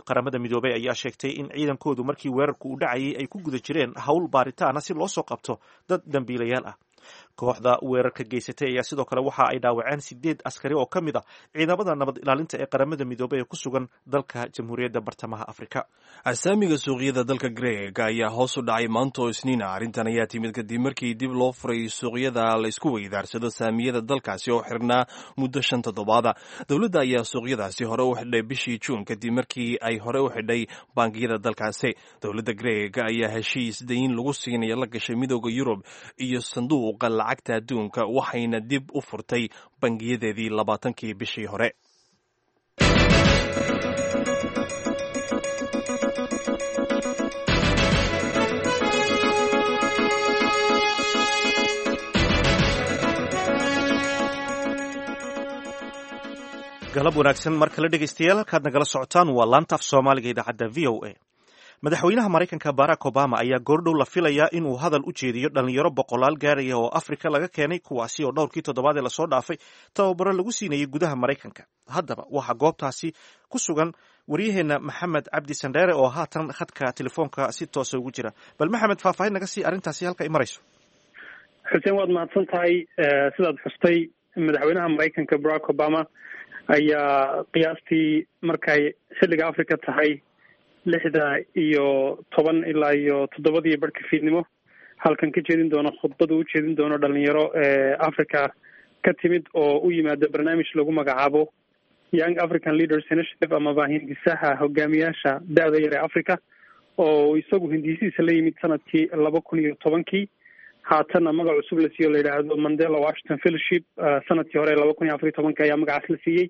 Qaramada Midoobay ayaa sheegtay in ciidankoodu markii weerarku uu dhacayay ay ku guda jireen howl baaritaana si loo soo qabto dad dambiilayaal ah. Kooxda weerarka geysatay ayaa sidoo kale waxa ay dhaawaceen sideed askari oo ka mid a ciidamada nabad ilaalinta ee Qaramada Midoobay ee ku sugan dalka Jamhuuriyadda Bartamaha Afrika. Asaamiga suuqyada dalka Greeg ayaa hoos u dhacay maanta oo Isniina. Arrintan ayaa timid kadib markii dib loo furay suuqyada la isku weydaarsado saamiyada dalkaasi oo xirnaa muddo 5 toddobaada. Dowladda ayaa suuqyadaasi hore u xidhay bishii Juun kadib markii ay hore u xidhay bangiyada dalkaasi. Dowladda Greeg ayaa heshiis dayn lagu siinaya la gashay Midooda Yurub iyo Sanduuqa Lacagta Adduunka, waxayna dib u furtay bangiyadeedii 20-kii bishii hore. Galab wanaagsan mar kale, dhegeystayaal. Halkaad nagala socotaan waa laanta af Soomaaliga, idaacadda VOA. Madaxweynaha Maraykanka Barack Obama ayaa goordhow la filayaa inuu hadal u jeediyo dhalinyaro boqolaal gaaraya oo Afrika laga keenay, kuwaasi oo dhowrkii toddobaad ee lasoo dhaafay tababaro lagu siinayay gudaha Maraykanka. Haddaba waxaa goobtaasi ku sugan waryaheena Maxamed Cabdi Sandheere oo haatan khadka telefoonka si toosa ugu jira. Bal Maxamed, faahfaahin naga sii arrintaasi halka ay marayso. Xuseen, waad mahadsan tahay. Sidaad xustay, madaxweynaha Maraykanka Barack Obama ayaa qiyaastii markay xilliga Africa tahay 6:10 ilaa iyo 7-dii barhka fiidnimo halkan ka jeedin doono khudbada u jeedin doono dhalinyaro Africa ka timid oo u yimaada barnaamij lagu magacaabo Young African Leaders Initiative, amaba hindisaha hogaamiyaasha da-da yar ee Africa, oo isagu hindisihiisa la yimid sanadkii 2010-kii, haatanna magac cusub la siiyo la yidhaahdo Mandela Washington Fellowship. Sanadkii hore 2014-ka ayaa magacaas la siiyey.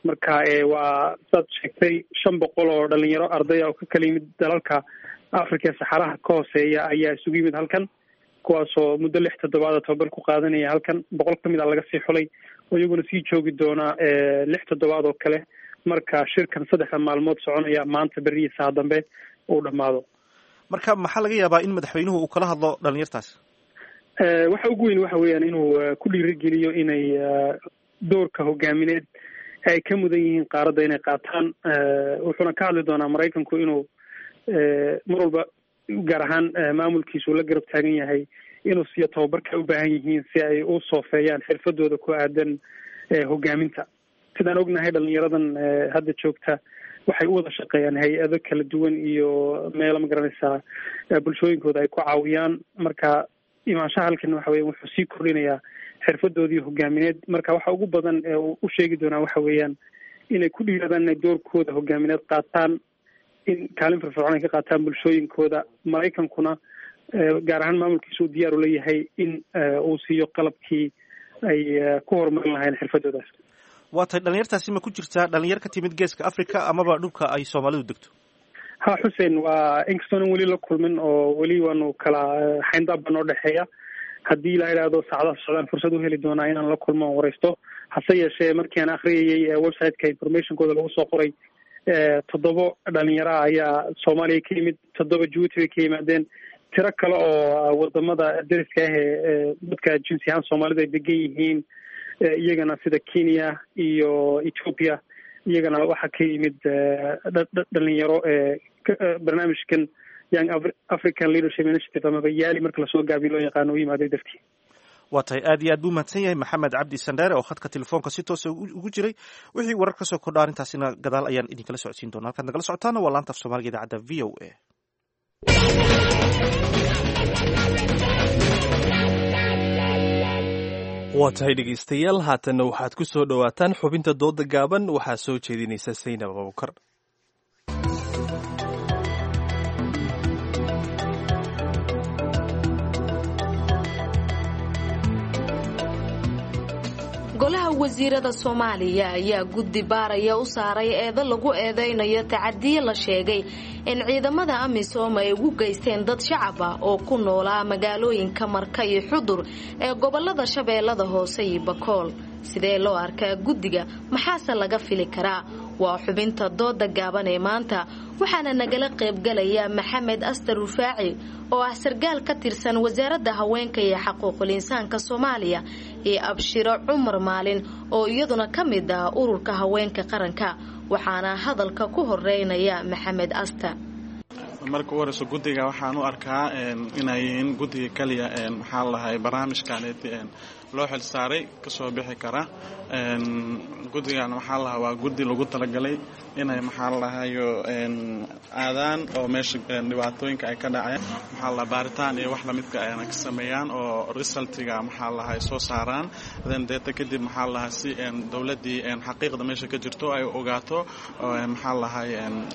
Marka waa saad sheegtay, 500 oo dhalinyaro ardaya oo ka kala yimid dalalka Africa ee saxaraha ka hooseeya ayaa isugu yimid halkan, kuwaasoo muddo 6 toddobaada tababar ku qaadanaya halkan. 100 ka mid a laga sii xulay oo iyaguna sii joogi doona 6 toddobaad oo kale marka shirkan 3-da maalmood soconaya, maanta, berrihi, saa dambe, uu dhammaado. Marka maxaa laga yaabaa in madaxweynuhu uu kala hadlo dhalinyartaas? Waxa ugu weyn waxa weeyaan inuu ku dhiirigeliyo inay doorka hogaamineed ay ka mudan yihiin qaaradda inay qaataan. Wuxuuna ka hadli doonaa Maraykanku inuu mar walba, gaar ahaan maamulkiisu, la garab taagan yahay inuu siiyo tababarka u baahan yihiin si ay u soofeeyaan xirfadooda ku aadan hogaaminta. Sidaan ognahay, dhalinyaradan hadda joogta waxay u wada shaqeeyaan hay-ado kala duwan iyo meelo, ma garanaysaa, bulshooyinkooda ay ku caawiyaan. Marka imaanshaha halkan waxa weya wuxuu sii kordhinayaa xirfadoodii hogaamineed. Marka waxa ugu badan ee uu u sheegi doonaa waxa weeyaan inay ku dhiiradaan inay doorkooda hogaamineed qaataan, in kaalin firfircoon ay ka qaataan bulshooyinkooda. Maraykankuna, gaar ahaan maamulkiisa, uu diyaar u leeyahay in uu siiyo qalabkii ay ku horumarin lahayn xirfadoodaas. Waa tahay. Dhalinyartaasi ma ku jirtaa dhalinyar ka timid Geeska Africa amaba dhulka ay Soomaalidu degto? Ha, Xuseen, waa inkastoonan weli la kulmin oo weli waanu kala xayndaabba noo dhexeeya, haddii la idhaahdo saacadaha socdaan fursad u heli doonaa inaan la kulmo oon wareysto. Hase yeeshee markii aan akhriyayey website-ka informationkooda lagu soo qoray, 7 dhalinyaro ah ayaa Soomaaliya ka yimid, 7 Jabuuti bay ka yimaadeen, tiro kale oo wadamada deriska ah ee dadka jinsi ahaan Soomaalida ay degan yihiin iyagana sida Kenya iyo Ethiopia, iyagana waxaa ka yimid dhalinyaro barnaamijkan Young African Leadership Initiative amaba YALI marka lasoo gaabiyo loo yaqaano u yimaaday dartii. Waa tahay, aad iyo aad buu mahadsan yahay Maxamed Cabdi Sandheere oo khadka telefoonka si toosa ugu jiray. Wixii warar ka soo kordha arrintaasina gadaal ayaan idinkala socodsiin doona. Halkaad nagala socotaana waa laanta af Soomaaliga idaacadda VOA. Waa tahay dhegaystayaal, haatanna waxaad ku soo dhowaataan xubinta dooda gaaban. Waxaa soo jeedinaysa Saynab Abubakar. Golaha wasiirada Soomaaliya ayaa guddi baaraya u saaray eedo lagu eedaynayo tacadiye la sheegay in ciidamada AMISOM ay ugu geysteen dad shacab ah oo ku noolaa magaalooyinka Marka iyo Xudur ee gobolada Shabeellada Hoose iyo Bakool. Sidee loo arkaa guddiga? Maxaase laga fili karaa? Waa xubinta dooda gaaban ee maanta, waxaana nagala qaybgalaya Maxamed Astar Rufaaci oo ah sargaal ka tirsan wasaaradda haweenka iyo xaquuqul insaanka Soomaaliya, iyo Abshiro Cumar Maalin oo iyaduna ka mid ah ururka haweenka qaranka. Waxaana hadalka ku horeynaya Maxamed Astar. Marka u horeyso, guddiga waxaan u arkaa inay yihiin guddiga kaliya, maxaa la lahay, barnaamijkaneeti loo xil saaray kasoo bixi kara. Guddigan waxaa lahaa waa guddi lagu talagalay inay, maxaa la lahayo, aadaan oo meesha dhibaatooyinka ay ka dhaceen, maxaa la, baaritaan iyo wax lamidka ayna ka sameeyaan oo resultiga, maxaa lahay, soo saaraan. Then deeta kadib, maxaa lahaa, si dowladdii xaqiiqda meesha ka jirto ay ogaato, maxaa lahay,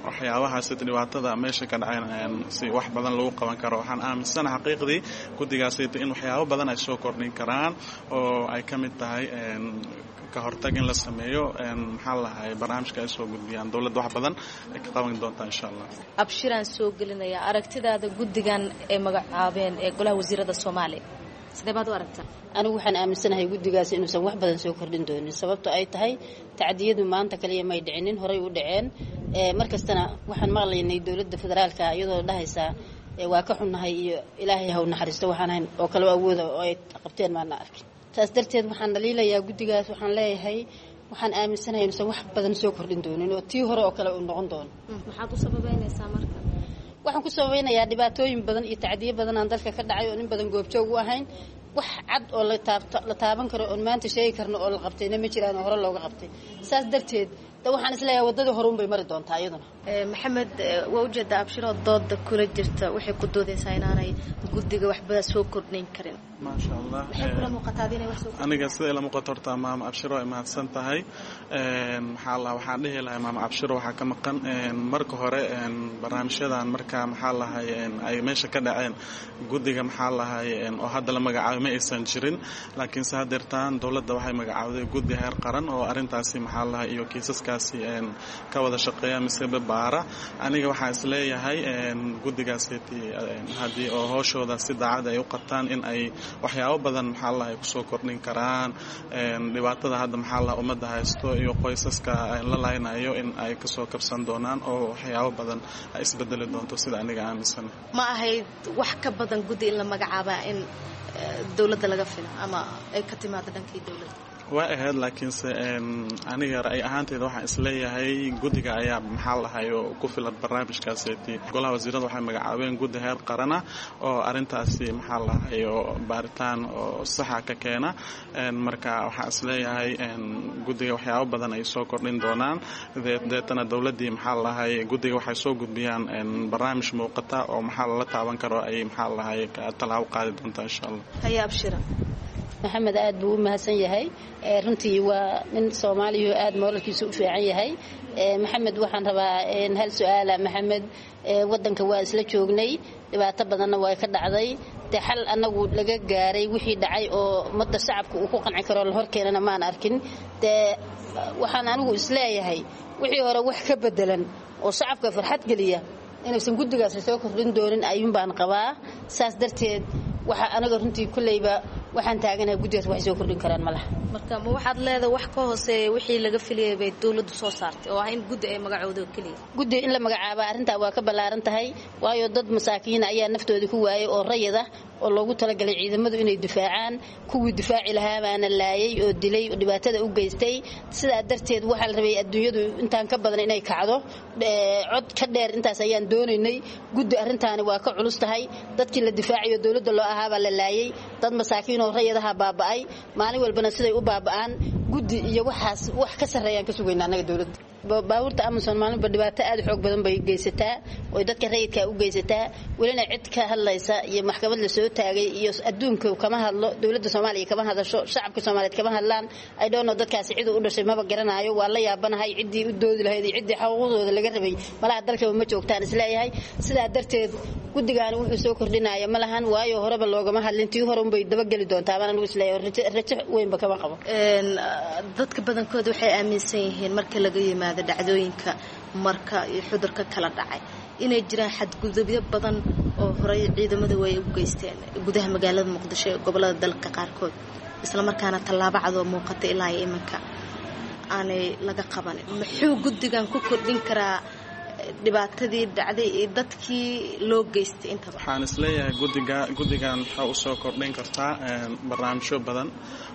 waxyaabahaas dhibaatada meesha ka dhaceen si wax badan lagu qaban karo. Waxaan aaminsana xaqiiqdii guddigaasita in waxyaabo badan ay soo kordhin karaan oo ay ka mid tahay ka hortag in la sameeyo, maxaa lahay, barnaamijka ay soo gudbiyaan dowladda wax badan ay ka qaban doontaa insha Allah. Abshiraan soo gelinaya, aragtidaada guddigan ee magacaabeen ee golaha wasiirada Soomaaliya sidee baad u aragtaa? Anigu waxaan aaminsanahay guddigaas inuusan wax badan soo kordhin doonin, sababto ay tahay tacdiyadu maanta kaliya may dhicinin, horay u dhaceen. Mar kastana waxaan maqlaynay dowladda federaalka iyadoo dhahaysaa waa ka xunnahay iyo Ilaahay haw naxariisto, waxaan hayn oo kale awooda oo ay qabteen maana arkin. Saas darteed waxaan dhaliilayaa guddigaas. Waxaan leeyahay waxaan aaminsanahay inuusan wax badan soo kordhin doonin oo tii hore oo kale uu noqon doono. Maxaad u sababeynaysaa marka? Waxaan ku sabaynayaa dhibaatooyin badan iyo tacdiyo badan aan dalka ka dhacay oo nin badan goobjoog u ahayn. Wax cad oo la taaban karo oon maanta sheegi karno oo la qabtayna ma jiraan oo hore looga qabtay. Saas darteed da waxaan isleeyahay waddadii hore unbay mari doontaa iyaduna. Maxamed, waa ujeedaa Abshiroo dooda kula jirta, waxay ku doodaysaa inaanay guddiga waxba soo kordhin karin. Maasha Allah. Maxay kula muuqataa inay wax soo Aniga sida ila muuqato horta maama Abshiro ay mahadsan tahay. Maxaa la, waxaan dhihi lahay maama Abshiro waxaa ka maqan marka hore barnaamijyadan marka, maxaa lahay, ay meesha ka dhaceen guddiga, maxaa lahay, oo hadda la magacaabay ma aysan jirin, laakiinse haddeertaan dowladda waxay magacaawday guddi heer qaran oo arrintaasi, maxaa lahay, iyo kiisaskaasi ka wada shaqeeya mise baara. Aniga waxaan isleeyahay guddigaasi haddii oo hooshooda si daacad ay u qabtaan in ay waxyaabo badan, maxaa lahay, kusoo kordhin karaan dhibaatada hadda, maxaa laha, ummadda haysto iyo qoysaska la laynayo in ay kasoo kabsan doonaan oo waxyaabo badan ay isbedeli doonto, sida aniga aaminsan. Ma ahayd wax ka badan guddi in la magacaabaa in dowladda laga filo ama ay ka timaado dhankii dowladda? Waa ahayd, laakiinse aniga ra'yi ahaanteyda waxaan isleeyahay guddiga ayaa, maxaa lahay, ku filan barnaamijkaaseti. Golaha wasiirada waxay magacaabeen guddi heer qarana oo arrintaasi, maxaa lahay, oo baaritaan oo saxa ka keena. Marka waxaan isleeyahay guddiga waxyaabo badan ay soo kordhin doonaan. Deetana dowladdii, maxaa lahay, guddiga waxay soo gudbiyaan barnaamij muuqata oo maxaa lala taaban karo ay, maxaa lahay, tallaabo qaadi doontaa insha Allah. Haya Abshira. Maxamed aad buu u mahadsan yahay. Runtii waa nin Soomaaliya oo aad mooralkiisu u fiican yahay. Maxamed waxaan rabaa hal su-aala. Maxamed, wadanka waa isla joognay, dhibaato badanna waa ka dhacday. Dee xal anagu laga gaaray wixii dhacay oo ummadda shacabka uu ku qanci karo la horkeenana maan arkin. Dee waxaan anigu isleeyahay wixii hore wax ka bedelan oo shacabka farxad geliya inuusan guddigaasi soo kordhin doonin ayuun baan qabaa. Saas darteed waxaa aniga runtii kulleyba Waxaan taaganahay guddigaas waxay soo kordhin karaan ma laha. Marka ma waxaad leedahay wax ka hooseeya wixii laga filayay bay dowladdu soo saartay oo ah in guddi ay magacooda keliya? Guddi in la magacaabo arrintaa waa ka ballaaran tahay, waayo dad masaakiin ayaa naftoodii ku waayay oo rayid ah oo loogu talagalay ciidamadu inay difaacaan. Kuwii difaaci lahaa baana laayay oo dilay oo dhibaatada u geystay. Sidaa darteed waxaa la rabay adduunyadu intaan ka badan inay kacdo, cod ka dheer intaas ayaan doonaynay. Guddi arrintaani waa ka culus tahay. Dadkii la difaacayo dowladda loo ahaabaa la laayay, dad masaakiin oo rayadaha baaba'ay, maalin walbana siday u baaba'aan. Guddi iyo waxaas wax ka sarreeyaan ka sugayna annaga dowladda. Baabuurta Amazon maalinba dhibaato aad u xoog badan bay geysataa oo dadka rayidka u geysataa. Welina cid ka hadlaysa iyo maxkamad la soo taagay iyo adduunka kama hadlo, dowladda Soomaaliya kama hadasho, shacabka Soomaaliyeed kama hadlaan. I don't know dadkaasi cid u dhashay maba garanayo. Waa la yaabanahay ciddii u doodi lahayd iyo ciddii xuquuqdooda laga rabay malaha dalkaba ma joogtaan isleeyahay. Sidaa darteed guddigaani wuxuu soo kordhinaya ma lahan, waayo horeba loogama hadlin. Tii hore unbay dabageli doontaa baan anigu isleeyahay, rajo weynba kama qabo. Dadka badankooda waxay aaminsan yihiin marka laga yimaado dhacdooyinka marka iyo xudurka kala dhacay inay jiraan xadgudubyo badan oo horey ciidamadu ay u geysteen gudaha magaalada Muqdisho ee gobolada dalka qaarkood, islamarkaana tallaabo cad oo muuqata ilaa iyo iminka aanay laga qabanin. Muxuu guddigan ku kordhin karaa dhibaatadii dhacday iyo dadkii loo geystay intaba? Waxaan isleeyahay guddigan waxaa usoo kordhin kartaa barnaamijyo badan.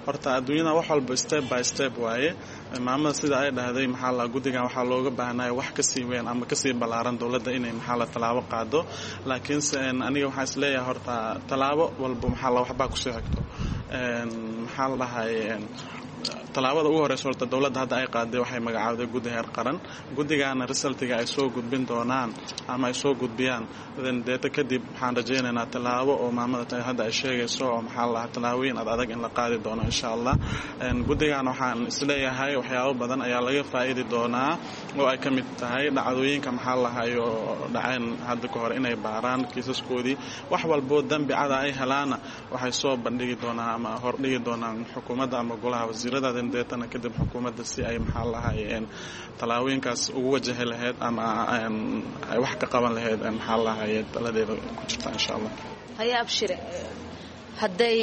Horta adduunyada wax walba step by step waaye. Maamada sida ay dhahday maxaa la guddigan waxaa looga baahnaya wax kasii weyn ama kasii ballaaran dowladda inay maxaa la tallaabo qaado. Laakiinse aniga waxaan isleeyahay horta tallaabo walba maxaa la waxbaa kusoo xigto. Maxaa la dhahay, tallaabada ugu horeysa horta dowladda hadda ay qaaday waxay magacaawday guddi heer qaran. Guddigaana resultiga ay soo gudbin doonaan ama ay soo gudbiyaan deeta kadib waxaan rajaynaynaa tallaabo oo maamada hadda ay sheegayso oo maxaa la dhahaa tallaabooyin ad adag in la qaadi doono insha Allah. Guddigan waxaan isleeyahay waxyaabo badan ayaa laga faa'iidi doonaa oo ay ka mid tahay dhacdooyinka maxaa la dhahayo dhaceen hadda ka hor inay baaraan kiisaskoodii. Wax walboo dambi cada ay helaana waxay soo bandhigi doonaan ama hordhigi doonaan xukuumadda ama golaha wasiirada, deetana kadib xukuumadda si ay maxaa lahay tallaabooyinkaas ugu wajahi lahayd ama ay wax ka qaban lahayd maxaa lahay taladeeda ku jirta insha Allah. Haya Abshire, hadday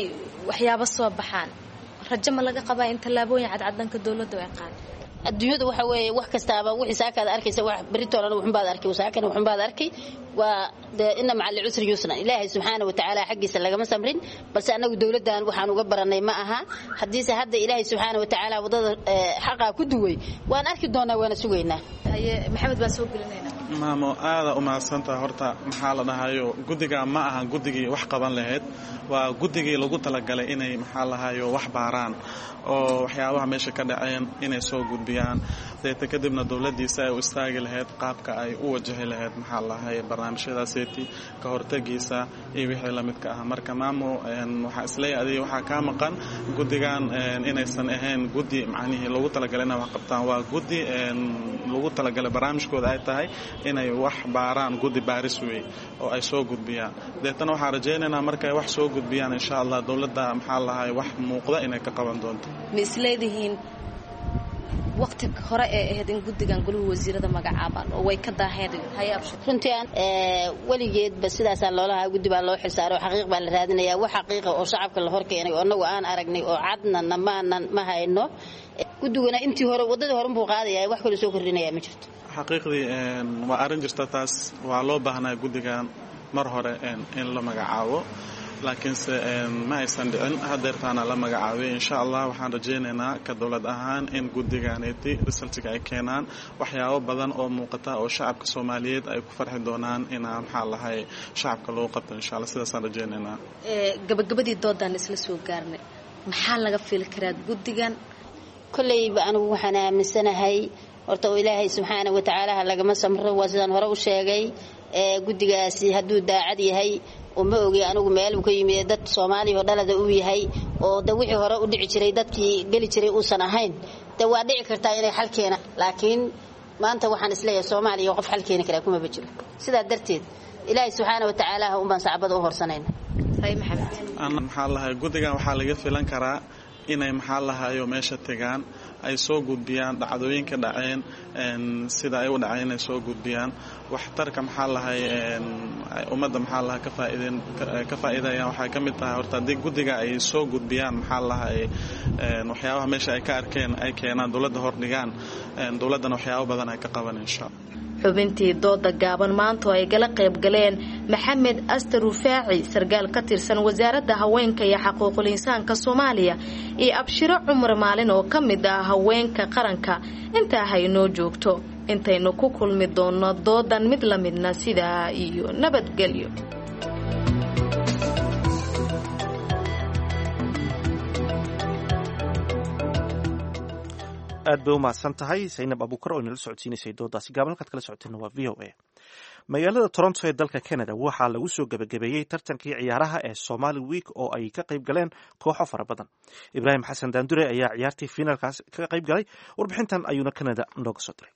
waxyaabo soo baxaan rajo ma laga qabaa in tallaabooyin cadcad dhanka dowladda ay qaado? Adduunyadu waxa weeye wax kastaaba wixii saakaad arkaysa wax beritoolana wuxunbaad arkay, saakana wuxunbaad arkay. Waa dee inna maca alcusri yusra, Ilaahay subxaana watacaala xaggiisa lagama samrin. Balse annagu dowladdan waxaan uga baranay ma aha. Haddiise hadda Ilaahay subxaana watacaala waddada xaqaa ku duway waan arki doonaa, waana sugaynaa. Haye Maxamed baan soo gelinaynaa. Maamo aada u mahadsantaha. Horta maxaa la dhahayo guddiga ma ahan guddigii wax qaban lahayd, waa guddigii lagu talagalay inay maxaa lahayo wax baaraan oo waxyaabaha meesha ka dhaceen inay soo gudbiyaan, deeta kadibna dowladdiisa ay u istaagi lahayd qaabka ay u wajahi lahayd maxaa lahay barnaamijyadaaseti ka hortagiisa iyo wixii la midka ah. Marka maamo waxaa isleeyahay adiga waxaa kaa maqan guddigan inaysan ahayn guddi macnihii lagu talagalay inay wax qabtaan. Waa guddi lagu talagalay barnaamijkooda ay tahay inay wax baaraan, guddi baaris wey oo ay soo gudbiyaan. Deetana waxaan rajaynaynaa markay wax soo gudbiyaan insha Allah dowladda maxaa lahay wax muuqda inay ka qaban doonto. Ma isleedihiin waqti hore ee ahayd in guddigan goluhu wasiirada magacaabaan oo way ka daaheen? Haye Abshir. Runtii aan weligeedba sidaasaa loolahaa guddi baa loo xilsaaro, xaqiiq baa la raadinayaa. Wax xaqiiqa oo shacabka la horkeenay oo annagu aan aragnay oo cadna namaanan ma hayno. Guddiguna intii hore waddadii hore unbuu qaadaya, wax kaloo soo kordhinaya ma jirto. Xaqiiqdii waa arrin jirta taas, waa loo baahnaa guddigan mar hore in la magacaabo, laakiinse ma aysan dhicin. Hadeertaana la magacaabay insha Allah. Waxaan rajaynaynaa ka dowlad ahaan in guddiganeeti resultiga ay keenaan waxyaabo badan oo muuqata oo shacabka Soomaaliyeed ay ku farxi doonaan inaa maxaa lahay shacabka loo qabto insha Allah. Sidaasaan rajaynaynaa. Gabagabadii doodaan isla soo gaarnay, maxaa laga fili karaa guddigan? Kolleyba anigu waxaan aaminsanahay horta oo Ilaahay subxaana watacaala ha lagama samro. Waa sidaan hore u sheegay, guddigaasi hadduu daacad yahay oo ma ogi anigu meel uu ka yimid dad Soomaaliya oo dhalada uu yahay oo da wixii hore u dhici jiray dadkii geli jiray uusan ahayn, de waa dhici kartaa inay xal keenaan. Laakiin maanta waxaan isleeyahay Soomaaliya qof xal keeni karaa kumaba jiro. Sidaa darteed Ilaahay subxaana watacaala ha unbaan sacbada u horsanayna. Haye Maxamed. Maxaa lahay guddigan waxaa laga filan karaa inay maxaa lahayo meesha tegaan ay soo gudbiyaan dhacdooyinka dhaceen, sida ay u dhaceen ay soo gudbiyaan, waxtarka maxaa lahay ummadda maxaa laha ka faa'iideen ka faa'iidayaan. Waxay ka mid tahay horta haddii guddiga ay soo gudbiyaan maxaa lahay waxyaabaha meesha ay ka arkeen ay keenaan dowladda hordhigaan, dowladdana waxyaabo badan ay ka qaban insha Allah. Xubintii dooda gaaban maantu ay gala qayb galeen Maxamed Aster Rufaaci, sarkaal ka tirsan wasaaradda haweenka iyo xaquuqul insaanka Soomaaliya, iyo Abshiro Cumar Maalin oo ka mid ah haweenka qaranka. Intaa haynoo joogto intaynu ku kulmi doonno doodan mid la midna, sidaa iyo nabadgelyo. Aad bay u mahadsan tahay Saynab Abuukar oo inala socodsiinaysay doodaasi gaaban. Halkaad kala socoteena waa VOA. Magaalada Toronto ee dalka Canada waxaa lagu soo gebagabeeyey tartankii ciyaaraha ee Somali Week oo ay ka qayb galeen kooxo fara badan. Ibraahim Xasan Daandure ayaa ciyaartii finaalkaas ka qayb galay, warbixintan ayuuna Canada nooga soo diray.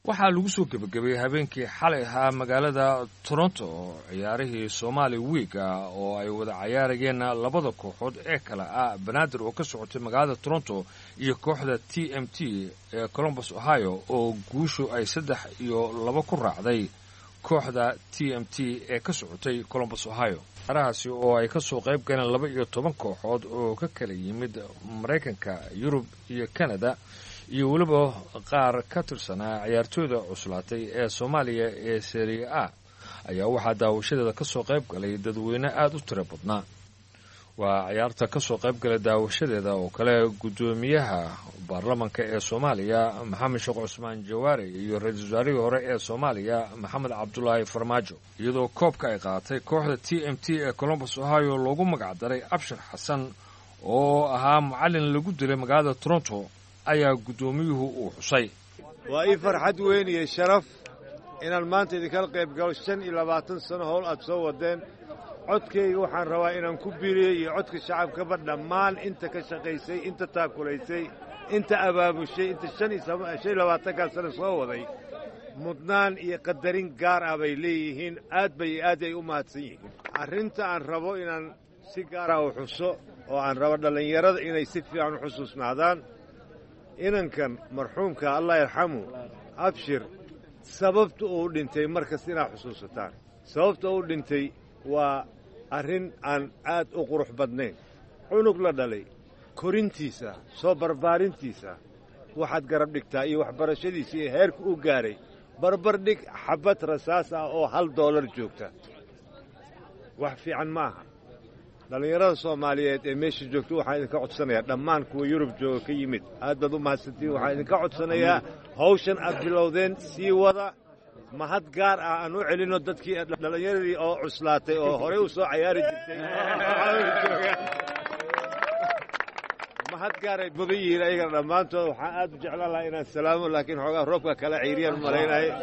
Waxaa lagu soo gebagabeeyey habeenkii xalay ahaa magaalada Toronto oo ciyaarihii Somali Week ah oo ay wada cayaarayeen labada kooxood ee kale ah Banaadir oo ka socotay magaalada Toronto iyo kooxda TMT ee Columbus, Ohio, oo guushu ay 3-2 ku raacday kooxda TMT ee ka socotay Columbus, Ohio. Ciyaarahaasi oo ay ka soo qayb galeen 12 kooxood oo ka kala yimid Maraykanka, Yurub iyo Canada, iyo weliba qaar ka tirsanaa ciyaartooyda cuslaatay ee Soomaaliya ee Serie A, ayaa waxaa daawashadeeda ka soo qayb galay dadweyne aada u tiro badnaa. Waa ciyaarta ka soo qayb galay daawashadeeda oo kale guddoomiyaha baarlamanka ee Soomaaliya Maxamed Sheekh Cusmaan Jawaari iyo ra-iisul wasaarihii hore ee Soomaaliya Maxamed Cabdulaahi Farmaajo, iyadoo koobka ay qaadatay kooxda TMT ee Columbus, Ohio, loogu magac daray Abshir Xasan oo ahaa macallin lagu dilay magaalada Toronto ayaa guddoomiyuhu uu xusay. Waa ii farxad weyn iyo sharaf inaan maanta idinkala qayb galo 25 sano howl aad soo wadeen. Codkayga waxaan rabaa inaan ku biiriyo iyo codka shacabkaba dhammaan inta ka shaqaysay, inta taakulaysay, inta abaabushay, inta 25-kaa sano soo waday. Mudnaan iyo qadarin gaar ah bay leeyihiin. Aad bay aad ay u mahadsan yihiin. Arrinta aan rabo inaan si gaara u xuso oo aan rabo dhallinyarada inay si fiican u xusuusnaadaan, inankan marxuumka, Allah yarxamu, Abshir, sababta uu dhintay markasta inaad xusuusataan. Sababta uu dhintay waa arrin aan aad u qurux badnayn. Cunug la dhalay, korintiisa, soo barbaarintiisa waxaad garab dhigtaa iyo waxbarashadiisa iyo heerka uu gaaray, barbar dhig xabbad rasaas ah oo $1 joogta. Wax fiican ma aha. Dhallinyarada Soomaaliyeed ee meesha joogta waxaan idinka codsanayaa, dhammaan kuwa Yurub jooga ka yimid, aad baad u mahadsantiin. Waxaan idinka codsanayaa hawshan aad bilowdeen sii wada. Mahad gaar ah aan u celinno dadkii dhallinyaradii oo cuslaatay oo horey u soo cayaari jirtay. Mahad gaar ay mudan yihiin ayagana dhammaantood. Waxaan aad u jeclaan lahaa inaan salaamo, laakiin xoogaa roobka kala ciiriyaan malaynaya.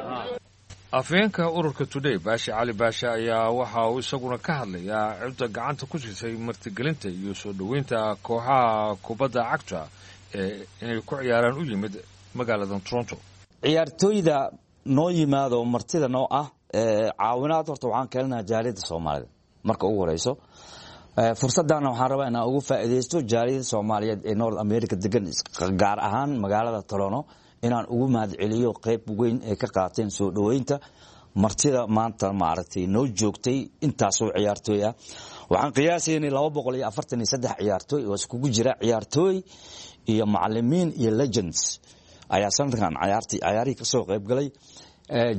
Afhayeenka ururka Today, Baashi Cali Baashe, ayaa waxa uu isaguna ka hadlayaa cidda gacanta ku siisay martigelinta iyo soo dhoweynta kooxaha kubadda cagta ee inay ku ciyaaraan u yimid magaalada Toronto. Ciyaartooyda noo yimaado martida noo ah, caawinaad horta waxaan keenaynaa jaaliyadda Soomaalida marka ugu horeyso. Fursadana waxaan rabaa inaan ugu faa'iidaysto jaaliyadda Soomaaliyeed ee North America degan, gaar ahaan magaalada Toronto, inaan ugu mahadceliyo qayb weyn ay ka qaateen soo dhoweynta martida maanta maaragtay noo joogtay. Intaasoo ciyaartooy ah waxaan qiyaasaynay 243 ciyaartooy oo iskugu jira ciyaartooy iyo macalimiin iyo legends ayaa sanadkan cayaarihii ka soo qayb galay.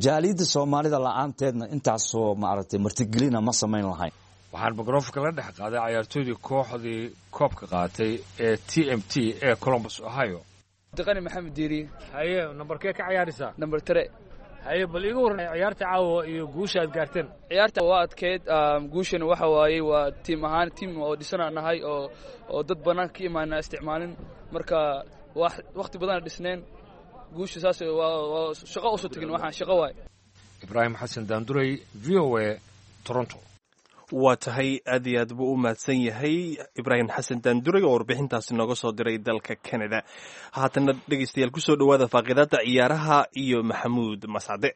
Jaaliyadda Soomaalida la-aanteedna intaasoo maaragtay martigelina ma samayn lahayn. Waxaan mikrofonka la dhex qaaday cayaartooydii kooxdii koobka qaatay ee TMT ee Columbus, Ohio. Daqani Maxamed Diiri. Haye, nambarkee ka ciyaaraysaa? Nambar 3. Haye, bal iiga warran ciyaarta caawa iyo guusha aad gaarteen. Ciyaarta waa adkeyd, guushana waxa waayey waa tiim ahaan, tiim oo dhisanaan nahay oo dad bannaanka ka imaana isticmaalin. Marka wakhti badana dhisneen guusha saas waa shaqo usoo tegin, waxaan shaqo waay. Ibraahim Xasan Daanduray, VOA, Toronto. Waa tahay, aad iyo aad buu u mahadsan yahay Ibraahim Xasan Daanduray oo warbixintaasi nooga soo diray dalka Canada. Haatanna dhegeystayaal, kusoo dhowaada faaqidaada ciyaaraha iyo Maxamuud Mascade.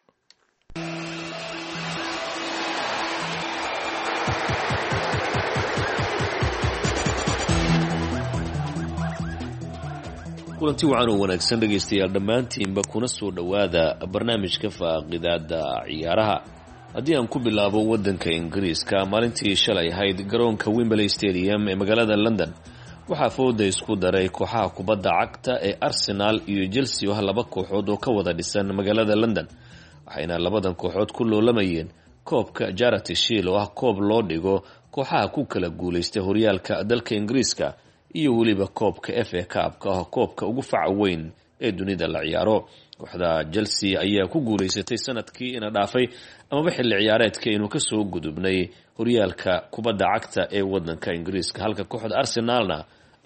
Kulanti wacan oo wanaagsan dhegaystayaal dhammaantiinba, kuna soo dhowaada barnaamijka faaqidaada ciyaaraha. Haddii aan ku bilaabo waddanka Ingiriiska, maalintii shalay ahayd garoonka Wembley Stadium ee magaalada London waxaa fooda isku daray kooxaha kubadda cagta ee Arsenal iyo Chelsea, oo ah laba kooxood oo ka wada dhisan magaalada London, waxayna labadan kooxood ku loolamayeen koobka Charity Shield, oo ah koob loo dhigo kooxaha ku kala guulaystay horyaalka dalka Ingiriiska, iyo weliba koobka FA Cup-ka, ah koobka ugu faca weyn ee dunida la ciyaaro. Kooxda Chelsea ayaa ku guulaysatay sanadkii ina dhaafay amaba xilli ciyaareedka inuu kasoo gudubnay horyaalka kubadda cagta ee wadanka Ingiriiska, halka kooxda Arsenalna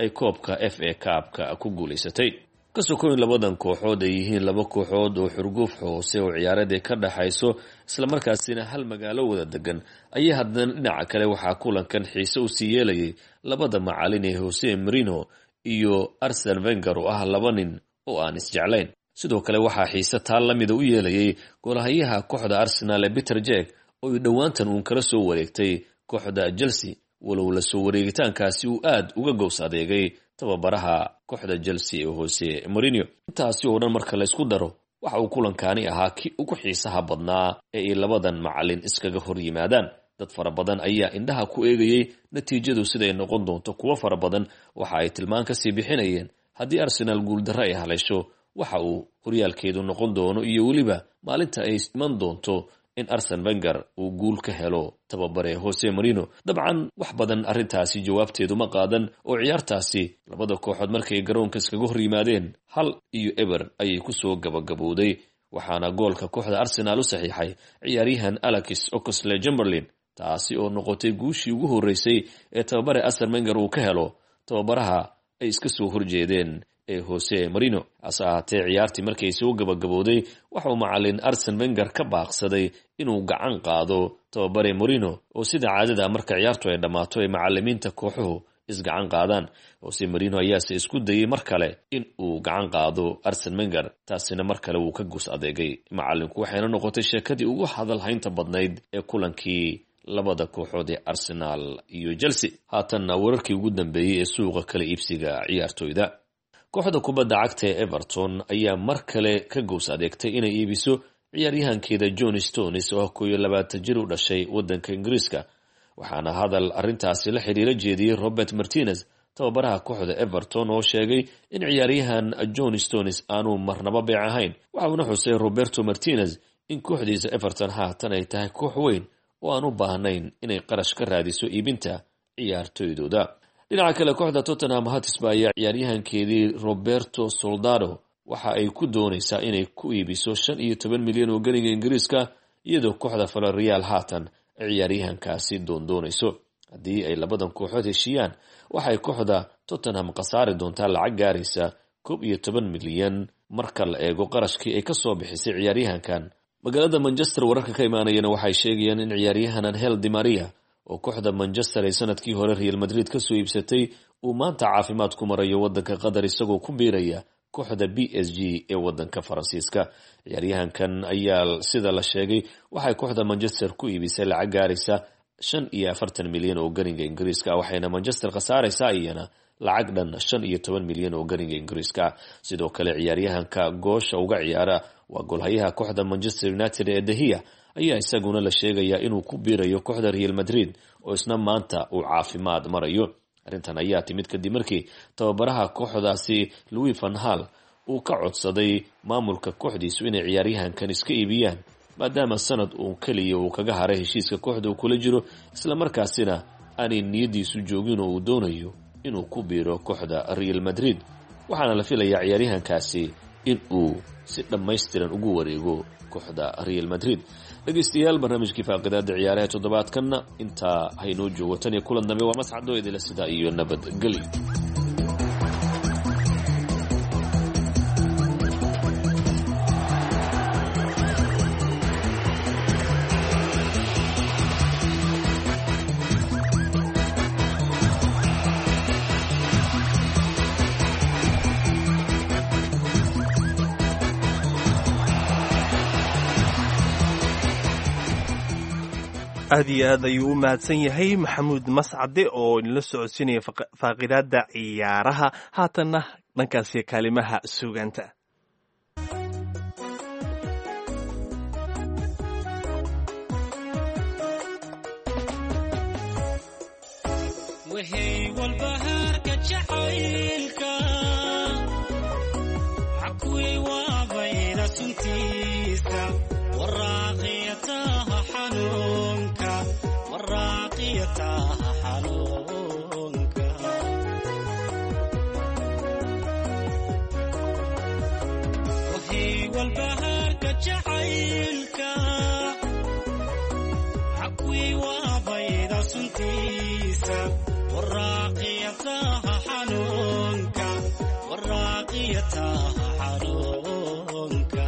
ay koobka FA Cup-ka ku guulaysatay. Kasoo koyn labadan kooxood ay yihiin laba kooxood oo xurguuf hoose oo ciyaareed ay ka dhaxayso, islamarkaasina hal magaalo wada degan, ayaa haddana dhinaca kale waxaa kulankan xiise usii yeelayay labada macalin ee Jose Mourinho iyo Arsene Wenger, oo ah laba nin oo aan isjeclayn. Sidoo kale waxaa xiise taa lamida u yeelayay goolhayaha kooxda Arsenal ee Peter Cech, oo ay dhowaantan uun kala soo wareegtay kooxda Chelsea, walow la soo wareegitaankaasi uu aad uga gows adeegay tababaraha kooxda Chelsea ee Jose Mourinho. Intaasi oo dhan marka la isku daro, waxa uu kulankaani ahaa kii ugu xiisaha badnaa ee ay labadan macalin iskaga hor yimaadaan. Dad fara badan ayaa indhaha ku eegayay natiijadu siday noqon doonto. Kuwo fara badan waxa ay tilmaan kasii bixinayeen haddii Arsenal guuldarro ay haleesho waxa uu horyaalkeedu noqon doono, iyo weliba maalinta ay iman doonto in Arsene Wenger uu guul ka helo tababare Jose Mourinho. Dabcan wax badan arrintaasi jawaabteedu ma qaadan, oo ciyaartaasi labada kooxood markay garoonka iskaga hor yimaadeen 1-0 ayay kusoo gabagabowday, waxaana goolka kooxda Arsenal u saxiixay ciyaaryahan Alex Oxlade Chamberlain, taasi oo noqotay guushii ugu horreysay ee tababare Arsene Wenger uu ka helo tababaraha ay iska soo horjeedeen ee Jose Mourinho. Hase ahaatee ciyaartii markay soo gabagabowday, waxauu macalin Arsene Wenger ka baaqsaday inuu gacan qaado tababare Mourinho, oo sida caadada marka ciyaartu ay dhammaato ay macalimiinta kooxuhu isgacan qaadaan. Jose Mourinho ayaase isku dayay mar kale in uu gacan qaado Arsene Wenger, taasina mar kale wuu ka gus adeegay macalinku, waxayna noqotay sheekadii ugu hadalhaynta badnayd ee kulankii labada kooxood ee Arsenal iyo Chelsea. Haatanna wararkii ugu dambeeyey ee suuqa kala iibsiga ciyaartoyda. Kooxda kubadda cagta ee Everton ayaa mar kale ka gows adeegtay inay iibiso ciyaaryahankeeda John Stones, oo ah 21 jir u dhashay wadanka Ingiriiska, waxaana hadal arrintaasi la xiriira jeediyey Robert Martinez, tababaraha kooxda Everton, oo sheegay in ciyaaryahan John Stones aanu marnaba beec ahayn. Waxauna xusay Roberto Martinez in kooxdiisa Everton haatan ay tahay koox weyn oo aan u baahnayn inay qarash ka raadiso iibinta ciyaartoydooda. Dhinaca kale, kooxda Tottenham Hotspur ayaa ciyaaryahankeedii Roberto Soldado waxa ay ku doonaysaa inay ku iibiso 15 milyan oo geniga Ingiriiska, iyadoo kooxda Villarreal haatan ciyaaryahankaasi doondoonayso. Haddii ay labadan kooxood heshiiyaan, waxay kooxda Tottenham khasaari doontaa lacag gaaraysa 11 milyan marka la eego qarashkii ay kasoo bixisay ciyaaryahankan. Magaalada Manchester wararka ka imaanayana waxay sheegayaan in ciyaaryahan Angel Di Maria, oo kooxda Manchester ay sanadkii hore Real Madrid kasoo iibsatay, uu maanta caafimaad ku marayo wadanka Qatar, isagoo ku biiraya kooxda PSG ee wadanka Faransiiska. Ciyaaryahankan ayaa sida la sheegay waxay kooxda Manchester ku iibisay lacag gaaraysa 45 milyan oo garinga Ingiriiska, waxayna Manchester khasaaraysaa iyana lacag dhan 15 milyan oo garinga Ingiriiska. Sidoo kale ciyaaryahanka goosha uga ciyaara, waa goolhayaha kooxda Manchester United ee De Gea, ayaa isaguna la sheegayaa inuu ku biirayo kooxda Real Madrid, oo isna maanta uu caafimaad marayo. Arrintan ayaa timid kadib markii tababaraha kooxdaasi Louis van Gaal uu ka codsaday maamulka kooxdiisu inay ciyaaryahankan iska iibiyaan, maadaama sanad uun keliya uu kaga haray heshiiska kooxda uu kula jiro, islamarkaasina aanay niyadiisu joogin oo uu doonayo inuu ku biiro kooxda Real Madrid. Waxaana la filayaa ciyaaryahankaasi in uu si dhammaystiran ugu wareego kooxda Real Madrid. Dhegeystayaal, barnaamijkii faaqidaada ciyaaraha toddobaadkanna intaa haynoo joogo. Tan iyo kulan dambe, waa mascadoo idila sidaa iyo nabadgelyo. Aad iyo aad ayuu u mahadsan yahay Maxamuud Mascade oo inala socodsiinaya faaqidaada ciyaaraha. Haatanna dhankaasi kaalimaha suugaanta. Wahey walbahaarka jacaylka xakuwey waabayda suntiisa waraaqiyataha xanuunka waraaqiyataha xanuunka. Wahey walbahaarka jacaylka xakuwey waabayda suntiisa waraaqiyataha xanuunka waraaqiyataha xanuunka.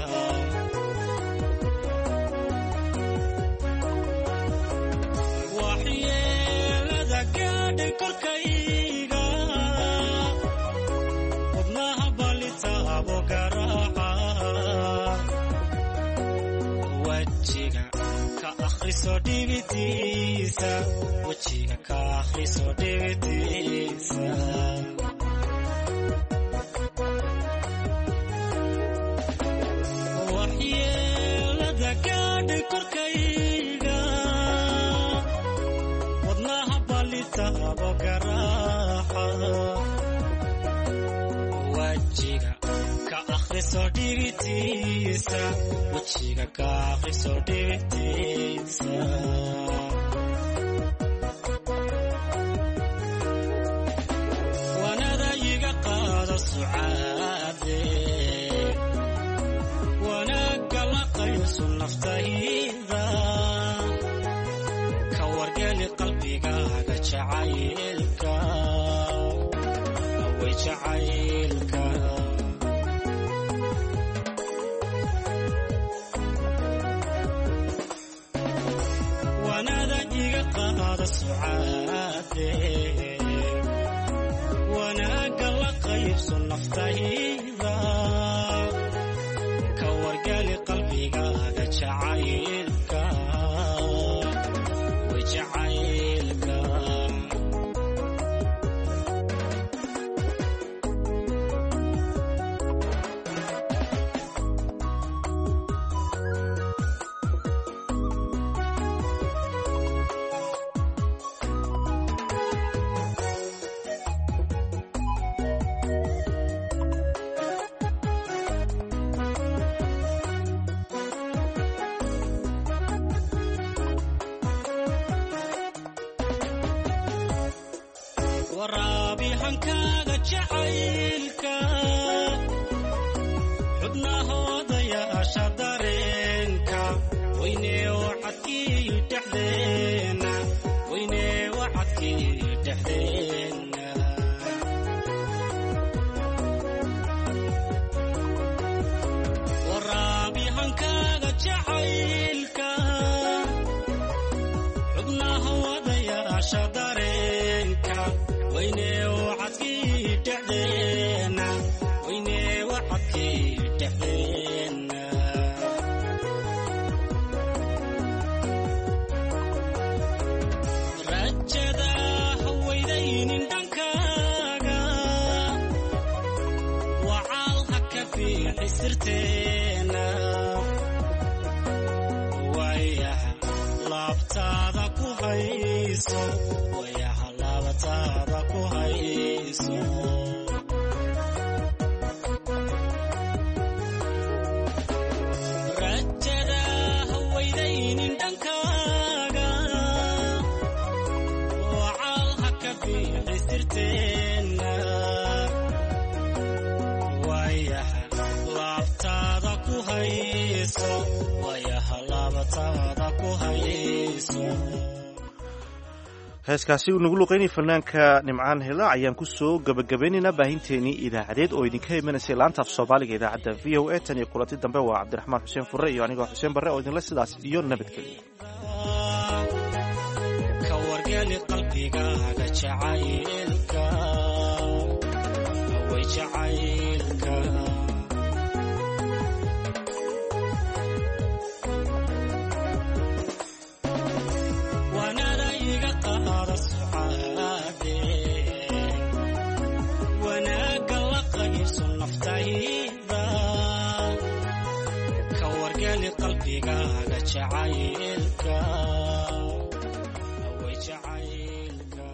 Waxyeelada gaadhay korkayga wadnaha balitaabo garaaca wajiga ka akhriso dhibitiisa wajiga ka akhriso dhibitiisa. Waxyeelada gaadhay korkayga wadnaha balitaabo garaaca wajiga ka akhriso dhibitiisa wajiga ka akhriso dhibitiisa. Wanada iga qaado sucaade wanaagga la qayso naftayda ka wargeli qalbigaaga jacaylka away jacaylka. Wanada iga qaado sucaade wanaagga la qaybso naftayda ka wargali qalbigaaga jacaylka way jacaylka. Waraabihankaaga jacaylka xubnahoodayaasha dareenka weynee wacadkiiyu dhexdeena weynee wacadkiiyu dhexdeena. Waraabihankaaga jacaylka xubnahoodayaasha dareenka weyne wacadkii dhexdeena weyne wacadkii dhexdeena. Rajada haweydaynin dhankaaga wacaal ha ka fiixi sirteena waayaha laabtaada ku hayso wayaha laabtaada ku hayso. Rajada haweydaynin dhankaaga wacaal ha ka fiixi sirteena waayaha laabtaada ku hayso waayaha laabtaada ku hayso. Heeskaasi uu nagu luqeynay fanaanka Nimcaan Hilaac ayaan ku soo gabagabeynaynaa baahinteenii idaacadeed oo idinka imanaysay laanta af Soomaaliga idaacadda VOA. Tan iyo kulanti dambe waa Cabdiraxmaan Xuseen Furre iyo anigoo Xuseen Barre oo idinle sidaas iyo nabadgelyo. Ka wargeli qalbigaaga jacaylka way jacaylka. Wanada iga qaada sucaade wanaagga la qaybso. Qalbigaaga jacaylka way jacaylka.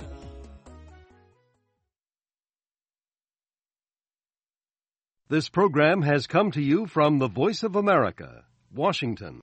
This program has come to you from the Voice of America, Washington.